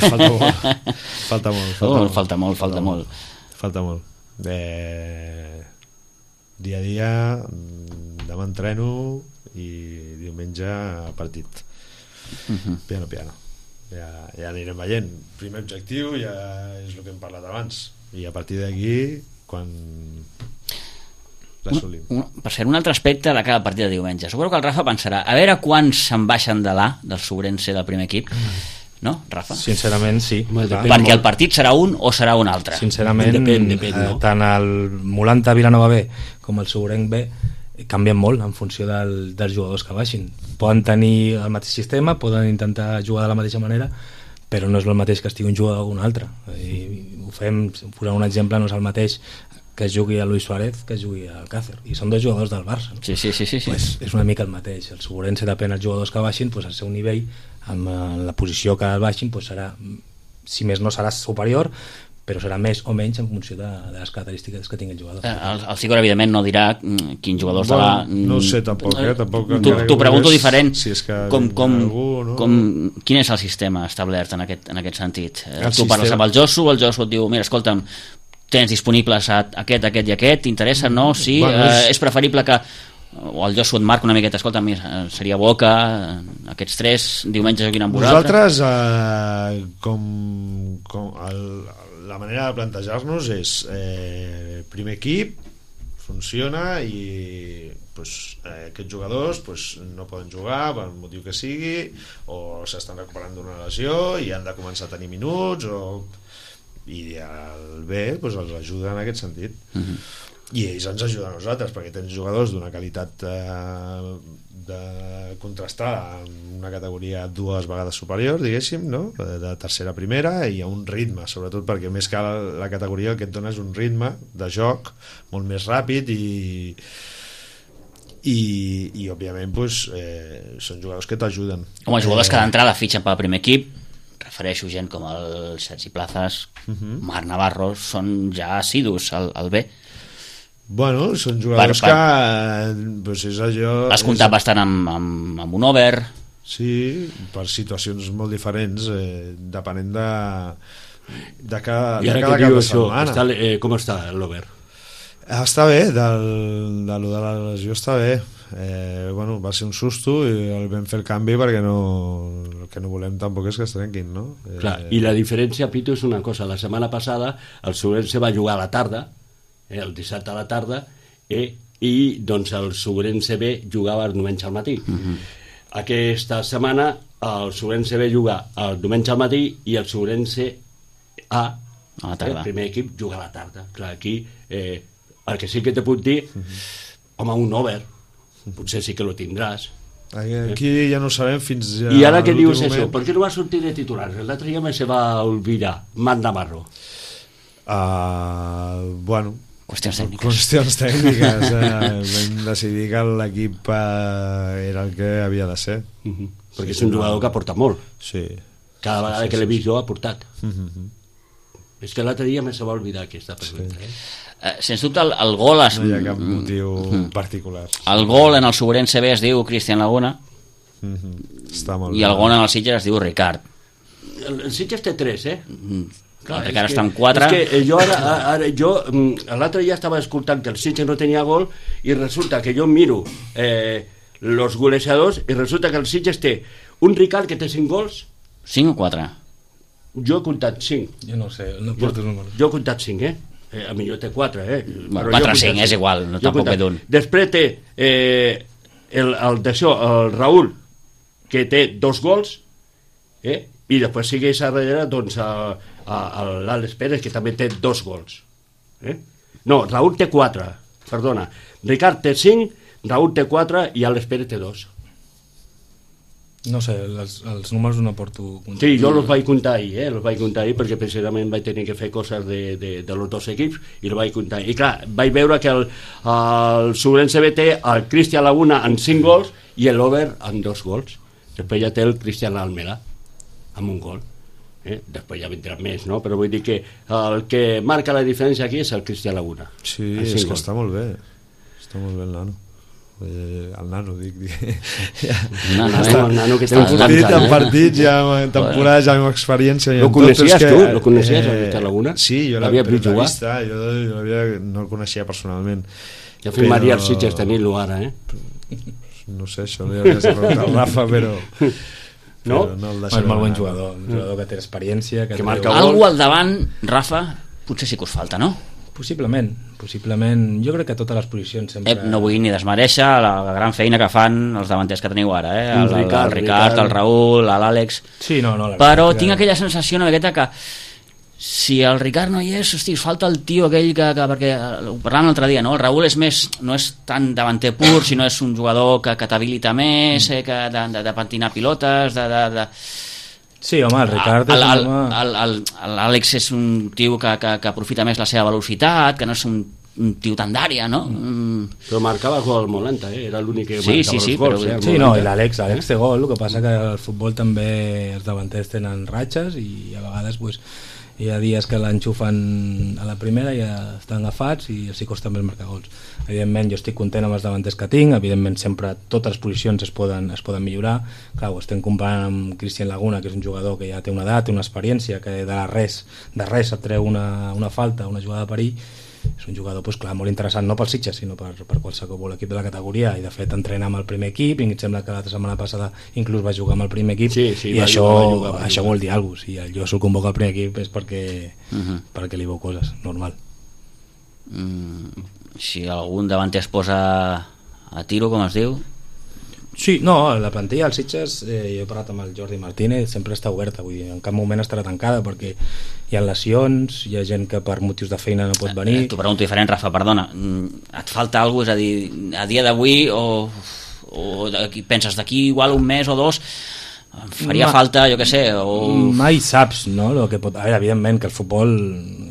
falta molt falta molt, falta, oh, molt, falta molt, falta molt falta molt eh, dia a dia, demà entreno i diumenge partit. Uh-huh. Piano piano, ja, ja anirem veient. Primer objectiu ja és el que hem parlat abans i a partir d'aquí quan l'assolim. Per ser un altre aspecte de cada partit de diumenge, suposo que el Rafa pensarà a veure quants se'n baixen de l'A del Sobrense del primer equip, no, Rafa? Sincerament sí. Perquè molt. El partit serà un o serà un altre? Sincerament depèn, depèn, no? eh, tant el Molanta Vilanova B com el Sobrenc B canvien molt en funció del, dels jugadors que baixin. Poden tenir el mateix sistema, poden intentar jugar de la mateixa manera, però no és el mateix que estigui un jugador o un altre. I ho fem, posant un exemple, no és el mateix que jugui a Luis Suárez que jugui al Càcer, i són dos jugadors del Barça. Sí, sí, sí, sí, sí. Pues és una mica el mateix. El Sobrense depèn dels jugadors que baixin, pues el seu nivell amb la posició que baixin pues serà, si més no serà superior, però serà més o menys en funció de, de les característiques que tingui el jugador. El, el Cigor evidentment no dirà quins jugadors bueno, serà... no ho sé tampoc, eh? tampoc T'ho pregunto diferent, si és que com, com, algú, no? com, quin és el sistema establert en aquest, en aquest sentit? El tu parles sistema... amb el Josu, el Josu et diu, mira, escolta'm, tens disponibles aquest, aquest i aquest, t'interessa, no? Sí, bueno, és... Eh, és preferible que o el Josu et marca una miqueta, escolta, seria bo que aquests tres diumenge juguin amb vosaltres. Nosaltres, eh, com, com el, la manera de plantejar-nos és eh, primer equip, funciona i pues, eh, aquests jugadors pues, no poden jugar per el motiu que sigui o s'estan recuperant d'una lesió i han de començar a tenir minuts o... i el B pues, els ajuda en aquest sentit. Uh-huh. I ells ens ajuden a nosaltres perquè tens jugadors d'una qualitat eh, de contrastada en una categoria dues vegades superior, diguéssim, no? De tercera a primera, i a un ritme, sobretot perquè més que la, la categoria el que et dona és un ritme de joc molt més ràpid i i, i òbviament pues, eh, són jugadors que t'ajuden. Home, jugadors eh, que d'entrada fitxen pel primer equip, refereixo gent com el Sergi Plazas, uh-huh. Marc Navarro, són ja assidus al, al B. Bueno, són jugadors per, per... que pues és allò... Has comptat és... bastant amb, amb, amb un over. Sí, per situacions molt diferents, eh, depenent de, de cada, I ara de cada que diu cap de això, setmana. està, eh, com està l'over? Està bé, del, de lo de la lesió està bé. Eh, bueno, va ser un susto i el vam fer el canvi perquè no, el que no volem tampoc és que es trenquin, no? Eh, Clar, i la diferència, Pitu, és una cosa. La setmana passada el Sobrense va jugar a la tarda, eh, el dissabte a la tarda, eh, i doncs el Sobrense B jugava el diumenge al matí. Uh-huh. Aquesta setmana el Sobrense B juga el diumenge al matí i el Sobrense A, a la tarda. El primer equip, juga a la tarda. Clar, aquí eh, el que sí que te puc dir, uh-huh. home, un over, potser sí que lo tindràs. Aquí eh? ja no sabem fins ja I ara que dius moment. això, per què no va sortir de titular? L'altre dia me se va olvidar, Marc Navarro. Uh, bueno, qüestions tècniques. Qüestions tècniques. eh, vam decidir que l'equip eh, era el que havia de ser. Uh-huh. Perquè sí, és un jugador no... que aporta molt. Sí. Cada vegada sí, sí, que l'he vist jo ha aportat. Uh-huh. És que l'altre dia me se va oblidar aquesta pregunta. Sí. Eh? Uh, sens dubte el, el gol es... no hi ha cap motiu mm-hmm. particular. El gol en el Sobrense B es diu Cristian Laguna, mm-hmm. Està molt i el gol en el Sitges es diu Ricard. El, el Sitges té tres, eh? Mm. Clar, el Ricard està en quatre. És que jo ara, ara jo l'altre dia estava escoltant que el Sitges no tenia gol i resulta que jo miro eh, los golejadors i resulta que el Sitges té un Ricard que té cinc gols. Cinc o quatre? Jo he comptat cinc. Jo no sé, no porto números. Jo he comptat cinc, eh? Eh, a millor té quatre, eh? Bueno, quatre o cinc, és igual, no tampoc ve d'un. Després té eh, el, el, d'això, el Raúl, que té dos gols, eh? I després segueix a darrere doncs, l'Àlex Pérez, que també té dos gols. Eh? No, Raúl té quatre, perdona. Ricard té cinc, Raúl té quatre i Àlex Pérez té dos. No sé, els, els números no porto... Sí, jo els vaig comptar ahir, eh? els vaig comptar ahir perquè precisament vaig tenir que fer coses de, de, de los dos equips i els vaig comptar. I clar, vaig veure que el, el Subrense B té el Cristian Laguna en cinc gols i l'Over en dos gols. Després ja té el Cristian Almela amb un gol. Eh? Després ja vindran més, no? Però vull dir que el que marca la diferència aquí és el Cristian Laguna. Sí, és que està molt bé. Està molt bé el nano. Eh, el nano, dic, dic. Ja. No, no, Està, el nano que té un partit, en partits, ja en temporades, ja amb experiència. Lo coneixies tu? Lo coneixies, el Cristian Laguna? Sí, jo l'havia vist jugar. Jo, jo havia, no el coneixia personalment. Ja firmaria els Sitges tenint-lo ara, eh? No sé, això li hauria de preguntar al Rafa, però... No? Però no el és molt bon jugador, un jugador que té experiència, que, que marca algú al davant, Rafa, potser sí que us falta, no? Possiblement, possiblement. Jo crec que a totes les posicions sempre... Eh, no vull ni desmereixer la, la gran feina que fan els davanters que teniu ara, eh? El, el, el, Ricard, el Ricard, el Raül, l'Àlex... Sí, no, no, la però veritat, tinc que... aquella sensació una miqueta que si el Ricard no hi és, hosti, falta el tio aquell que, que perquè ho parlàvem l'altre dia, no? El Raül és més, no és tan davanter pur, sinó és un jugador que, que t'habilita més, eh, que de, de, de patinar pilotes, de... de, de... Sí, home, el Ricard és el, un home... l'Àlex és un tio que, que, que aprofita més la seva velocitat, que no és un, un tio tan d'àrea, no? Mm. Però marcava gol molt lenta, eh? Era l'únic que sí, marcava sí, sí, els gols. però... Eh? Sí, no, i l'Àlex, l'Àlex té gol, el que passa que al futbol també els davanters tenen ratxes i a vegades pues, hi ha dies que l'enxufen a la primera i ja estan agafats i els hi costa més marcar gols. Evidentment jo estic content amb els davanters que tinc, evidentment sempre totes les posicions es poden, es poden millorar. Clar, ho estem comparant amb Cristian Laguna, que és un jugador que ja té una edat, té una experiència, que de res, de res et treu una, una falta, una jugada de perill. És un jugador pues, clar, molt interessant, no pel Sitges sinó per, per qualsevol equip de la categoria, i de fet entrena amb el primer equip i em sembla que l'altra setmana passada inclús va jugar amb el primer equip, sí, sí, i va això, jugar, va jugar, va això jugar. vol dir alguna cosa. Si el Josu convoca el primer equip és perquè, Uh -huh. perquè li veu coses, normal. Mm, si algun davanter es posa a tiro, com es diu? Sí, no, la plantilla dels Sitges, eh, jo he parlat amb el Jordi Martínez, sempre està oberta, vull dir, en cap moment estarà tancada perquè hi ha lesions, hi ha gent que per motius de feina no pot venir. Eh, T'ho pregunto diferent, Rafa, perdona. Et falta alguna cosa? És a dir, a dia d'avui o, o d'aquí, penses d'aquí igual un mes o dos em faria Ma, falta, jo què sé, o... Mai saps, no? Lo que pot... A veure, evidentment que el futbol,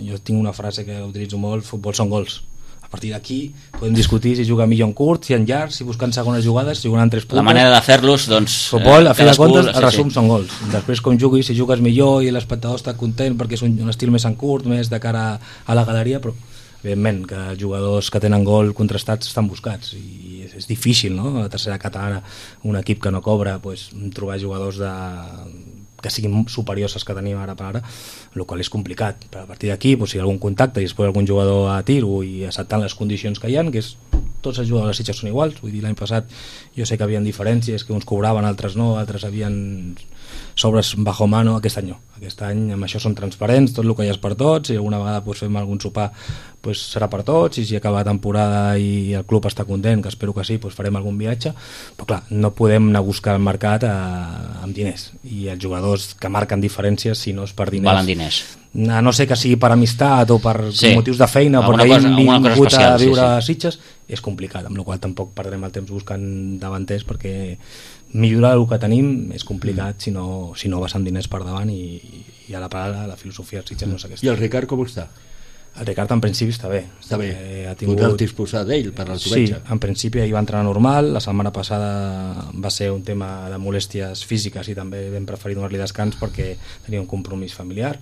jo tinc una frase que utilitzo molt, futbol són gols. A partir d'aquí podem discutir si juga millor en curt, si en llarg, si buscant segones jugades, si jugant tres puntes. La manera de fer-los, doncs... Futbol, a fi de comptes, el sí, resum sí. són gols. Després, com juguis, si jugues millor i l'espectador està content perquè és un, un estil més en curt, més de cara a la galeria, però evidentment que els jugadors que tenen gol contrastats estan buscats i és, és difícil, no? A la tercera catalana, un equip que no cobra, pues, trobar jugadors de que siguin superiors als que tenim ara per ara, el qual és complicat. Però a partir d'aquí, pues, si hi ha algun contacte i després algun jugador a tiro i acceptant les condicions que hi ha, que és, tots els jugadors de Sitges són iguals, vull dir, l'any passat jo sé que havien diferències, que uns cobraven, altres no, altres havien sobres bajo mano, aquest any no. Aquest any amb això són transparents, tot el que hi és per tots, i alguna vegada pues, fem algun sopar pues, serà per tots, i si acaba la temporada i el club està content, que espero que sí, pues, farem algun viatge, però clar, no podem anar a buscar el mercat a, amb diners, i els jugadors que marquen diferències, si no és per diners, valen diners. A no sé que sigui per amistat o per sí. motius de feina, alguna perquè cosa, hem vingut especial, a viure sí, sí. a Sitges, és complicat, amb la qual tampoc perdrem el temps buscant davanters, perquè millorar el que tenim és complicat mm. si, no, si no vas amb diners per davant, i, i a la paraula la filosofia dels Sitges no és aquesta. I el Ricard com està? El Ricard en principi està bé. Està bé. Eh, ha tingut... Podeu disposar d'ell per al Sí, en principi ell va entrenar normal, la setmana passada va ser un tema de molèsties físiques i també vam preferir donar-li descans perquè tenia un compromís familiar,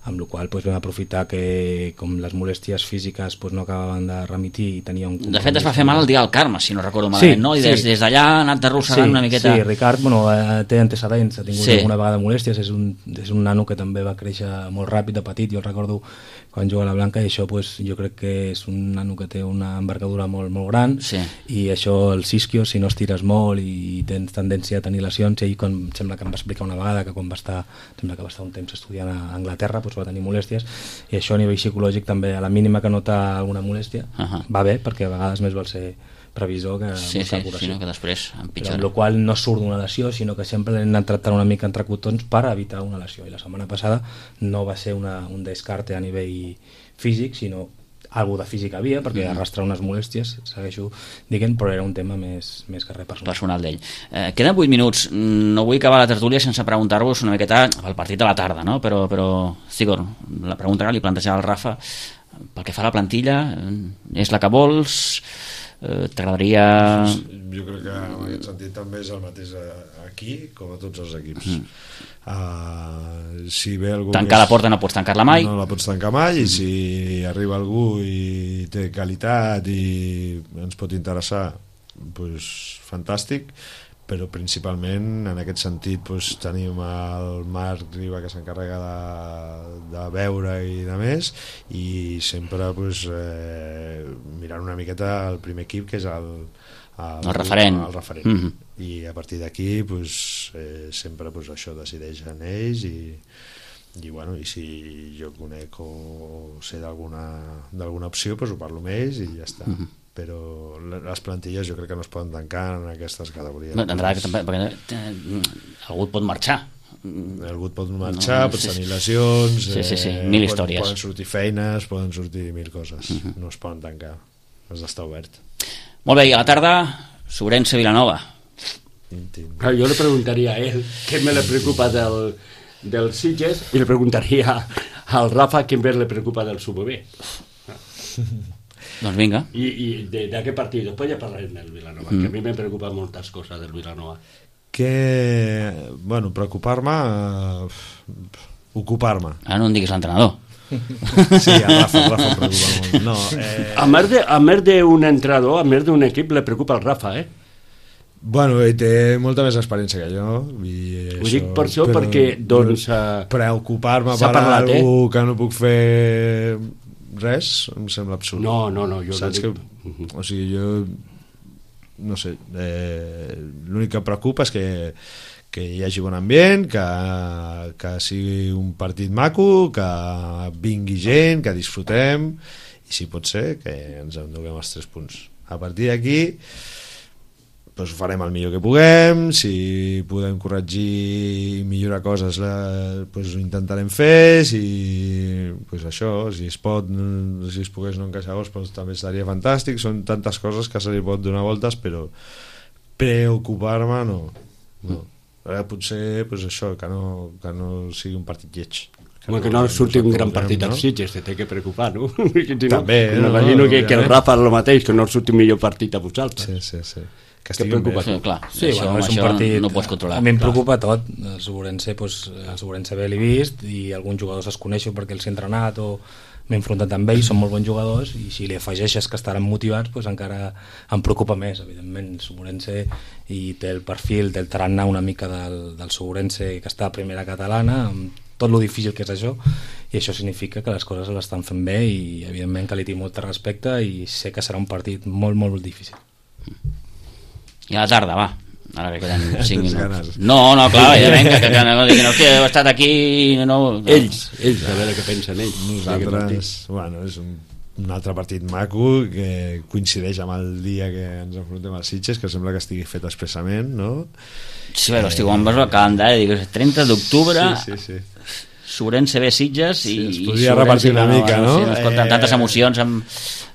amb la qual cosa vam aprofitar que com les molèsties físiques pues, no acabaven de remitir i tenia un compromís. De fet es va fer mal el dia del Carme, si no recordo malament, sí, no? I des, sí. des d'allà ha anat arrossegant sí, una miqueta... Sí, Ricard bueno, té antecedents, ha tingut sí. alguna vegada molèsties, és un, és un nano que també va créixer molt ràpid de petit, jo el recordo quan juga a la Blanca, i això pues, jo crec que és un nano que té una envergadura molt, molt gran, sí. i això el isquio, si no estires molt i tens tendència a tenir lesions, i ell com, sembla que em va explicar una vegada que quan va estar, sembla que va estar un temps estudiant a Anglaterra pues, va tenir molèsties, i això a nivell psicològic també, a la mínima que nota alguna molèstia, uh -huh. va bé, perquè a vegades més vol ser previsor que sí, sí, sí, no, que després empitjora. Però amb la qual no surt d'una lesió, sinó que sempre l'hem de tractar una mica entre cotons per evitar una lesió, i la setmana passada no va ser una, un descarte a nivell físic, sinó algo de física havia, perquè mm. arrastrar unes molèsties, segueixo dient, però era un tema més, més que res personal. Personal d'ell. Eh, queden vuit minuts. No vull acabar la tertúlia sense preguntar-vos una miqueta el partit de la tarda, no? Però, però Sigor, la pregunta que li plantejava al Rafa, pel que fa a la plantilla, és la que vols? Eh, T'agradaria... Jo crec que en aquest sentit també és el mateix aquí com a tots els equips. Mm. Uh, si ve algú tancar la porta no pots tancar-la mai, no la pots tancar mai, i si arriba algú i té qualitat i ens pot interessar, pues, fantàstic, però principalment en aquest sentit pues, tenim el Marc Riba que s'encarrega de, de veure i de més, i sempre pues, eh, mirant una miqueta el primer equip, que és el el, el referent, el referent. Mm-hmm. I a partir d'aquí pues, eh, sempre pues, això decideixen ells, i, i, bueno, i si jo conec o sé d'alguna opció pues, ho parlo amb ells i ja està. Mm-hmm. Però les plantilles jo crec que no es poden tancar en aquestes categories. No, perquè, perquè algú pot marxar. Algú pot marxar, no, no, pot sí, tenir lesions, sí, sí, sí, mil eh, històries. Poden sortir feines, poden sortir mil coses. Mm-hmm. No es poden tancar, has d'estar obert. Molt bé, i a la tarda, Sobrense Vilanova. Claro, yo le preguntaría a él qué me le preocupa del, del Sitges, y le preguntaría al Rafa qué me le preocupa del Subebé. Doncs vinga. I, i de, de què partit? Després ja parlarem del Vilanova, mm. que a mi me preocupa moltes coses del Vilanova. Que, bueno, preocupar-me, uh, ocupar-me. Ara no em diguis l'entrenador. Sí, el Rafa, el Rafa em preocupa molt. No, eh... A més de, a més d'un entrenador, a més d'un equip, le preocupa el Rafa, eh? Bueno, ell té molta més experiència que jo. I ho això, dic per això, perquè, doncs... Uh, preocupar-me per parlat, algú eh? que no puc fer res, em sembla absurd. No, no, no, jo Saps no dic... que, o sigui, jo... No sé, eh, l'únic que em preocupa és que que hi hagi bon ambient, que, que sigui un partit maco, que vingui gent, que disfrutem, i si pot ser que ens enduguem els tres punts. A partir d'aquí pues, farem el millor que puguem, si podem corregir i millorar coses pues, ho intentarem fer, si pues, això, si es pot, si es pogués no encaixar gols pues, també seria fantàstic. Són tantes coses que se li pot donar voltes, però preocupar-me no, no. Ara potser pues, això, que no, que no sigui un partit lleig. Que Home, no, que no surti un gran partit als no? Sitges, te té que preocupar, no? Si no també, no, m'imagino no, que, que el Rafa és el mateix, que no surti un millor partit a vosaltres. Sí, sí, sí. Que estigui bé. Sí, clar, sí, això, bueno, és un això partit, no pots controlar. A mi em preocupa tot. El Sobrense, pues, el Sobrense bé l'he vist i alguns jugadors els coneixo perquè els he entrenat o m'he enfrontat amb ells, són molt bons jugadors, i si li afegeixes que estaran motivats pues encara em preocupa més, evidentment. El Sobrense i té el perfil, té el tarannà una mica del, del Sobrense que està a primera catalana, amb tot lo difícil que és això, i això significa que les coses l'estan fent bé, i evidentment que li tinc molt respecte i sé que serà un partit molt, molt difícil. I a la tarda, va. Ara que queden cinc minuts. No, no, clar, evidentment, que, que, que no diguin, hòstia, he estat aquí... No, no. Ells, ells, a veure què pensen ells. Nosaltres, bueno, és un, un altre partit maco que coincideix amb el dia que ens enfrontem als Sitges, que sembla que estigui fet expressament, no? Sí, però, hosti, quan vas al calendari, dic, trenta d'octubre... Sí, sí, sí. Sobrense bé Sitges i... Sí, es podria repartir una mica, no? Sí, no escolta, amb tantes emocions... Amb,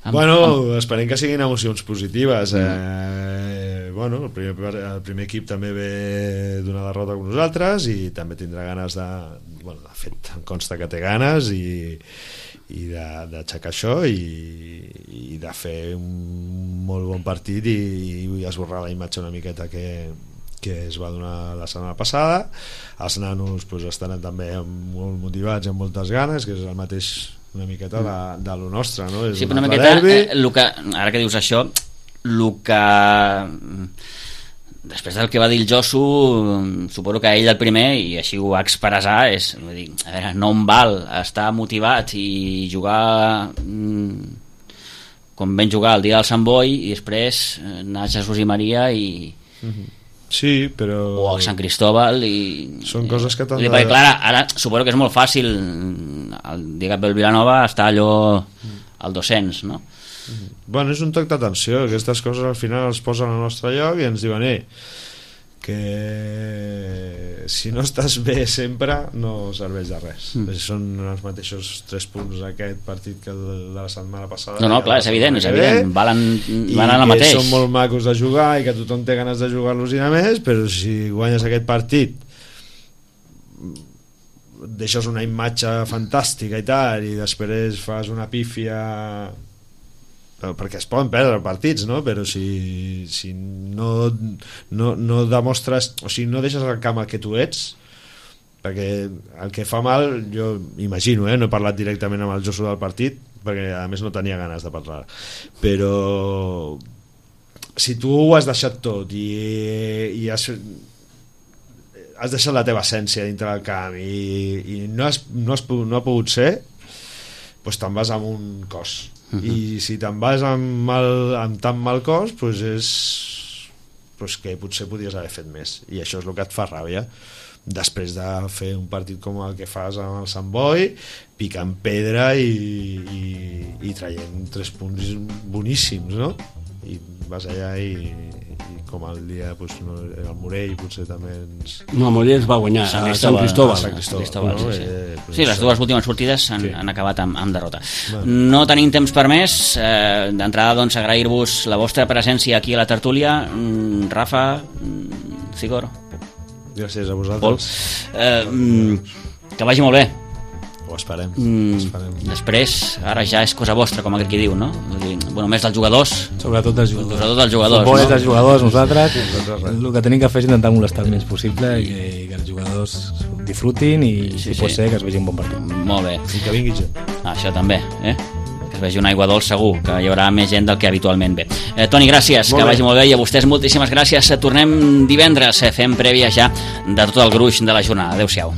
amb, bueno, amb... esperem que siguin emocions positives. Mm. Eh, bueno, el primer, el primer equip també ve d'una derrota amb nosaltres i també tindrà ganes de... Bueno, de fet, em consta que té ganes i, i d'aixecar això i, i de fer un molt bon partit i, i esborrar la imatge una miqueta que... que es va donar la setmana passada. Els nanos pues, estan també molt motivats i amb moltes ganes, que és el mateix una miqueta de, de lo nostre, no? És sí, però una miqueta, eh, lo que, ara que dius això, el que després del que va dir el Josu, suposo que ell el primer, i així ho va expressar, és, vull dir, a veure, no em val estar motivat i jugar com vam jugar el dia del Sant Boi i després anar a Jesús i Maria i mm-hmm. Sí, però... o a Sant Cristóbal i... Són coses que t'han de... Perquè, clar, ara suposo que és molt fàcil el dia que ve el Vilanova està allò al dos-cents, no? Bueno, és un toc d'atenció, aquestes coses al final els posen al nostre lloc i ens diuen, eh, que si no estàs bé sempre no serveix de res. Mm. Són els mateixos tres punts aquest partit que el de la setmana passada. No, no, clar, és evident, és evident. Valen, valen el mateix. I que són molt macos de jugar i que tothom té ganes de jugar-los i a més, però si guanyes aquest partit deixes una imatge fantàstica i tal, i després fas una pífia, perquè es poden perdre partits, no? Però si, si no, no, no demostres, o sigui, no deixes al camp el que tu ets, perquè el que fa mal, jo imagino, eh? No he parlat directament amb el Josu del partit, perquè a més no tenia ganes de parlar, però si tu ho has deixat tot i, i has, has deixat la teva essència dintre del camp i, i no, has, no, has, no ha pogut ser, doncs te'n vas amb un cos. Uh -huh. I si te'n vas amb, mal, amb tan mal cos, doncs és doncs que potser podries haver fet més, i això és el que et fa ràbia després de fer un partit com el que fas amb el Sant Boi, picant pedra i, i, i traient tres punts boníssims, no? I vas allà i, i com el dia doncs, no, el Morell potser també ens... No, el Morell es va guanyar Sant a Sant Cristóbal, Sant Cristóbal, Cristóbal no? sí, sí. Eh, doncs sí, les dues últimes sortides han, sí. han acabat amb, amb derrota. Bueno. No tenim temps per més. eh, d'entrada doncs agrair-vos la vostra presència aquí a la tertúlia. mm, Rafa, mm, Cigor, Gràcies a Pol, vosaltres. eh, mm, que vagi molt bé. Ho esperem, Mm, ho esperem. després, ara ja és cosa vostra, com aquell qui diu, no? Vull dir, bueno, més dels jugadors, Sobretot dels jugadors. sobretot dels jugadors, Futbol és no? dels jugadors, nosaltres. Nosaltres res. El que tenim que fer és intentar molestar el menys possible i que, que els jugadors disfrutin i, Sí, si sí. pot ser, que es vegi un bon partit. Molt bé. I que vingui gent. Ah, això també, eh? Que es vegi una aigua dolç segur, que hi haurà més gent del que habitualment ve. Eh, Toni, gràcies, Molt que bé. vagi molt bé, i a vostès moltíssimes gràcies. Eh, Tornem divendres, eh, fem prèvia ja de tot el gruix de la jornada. Adéu-siau.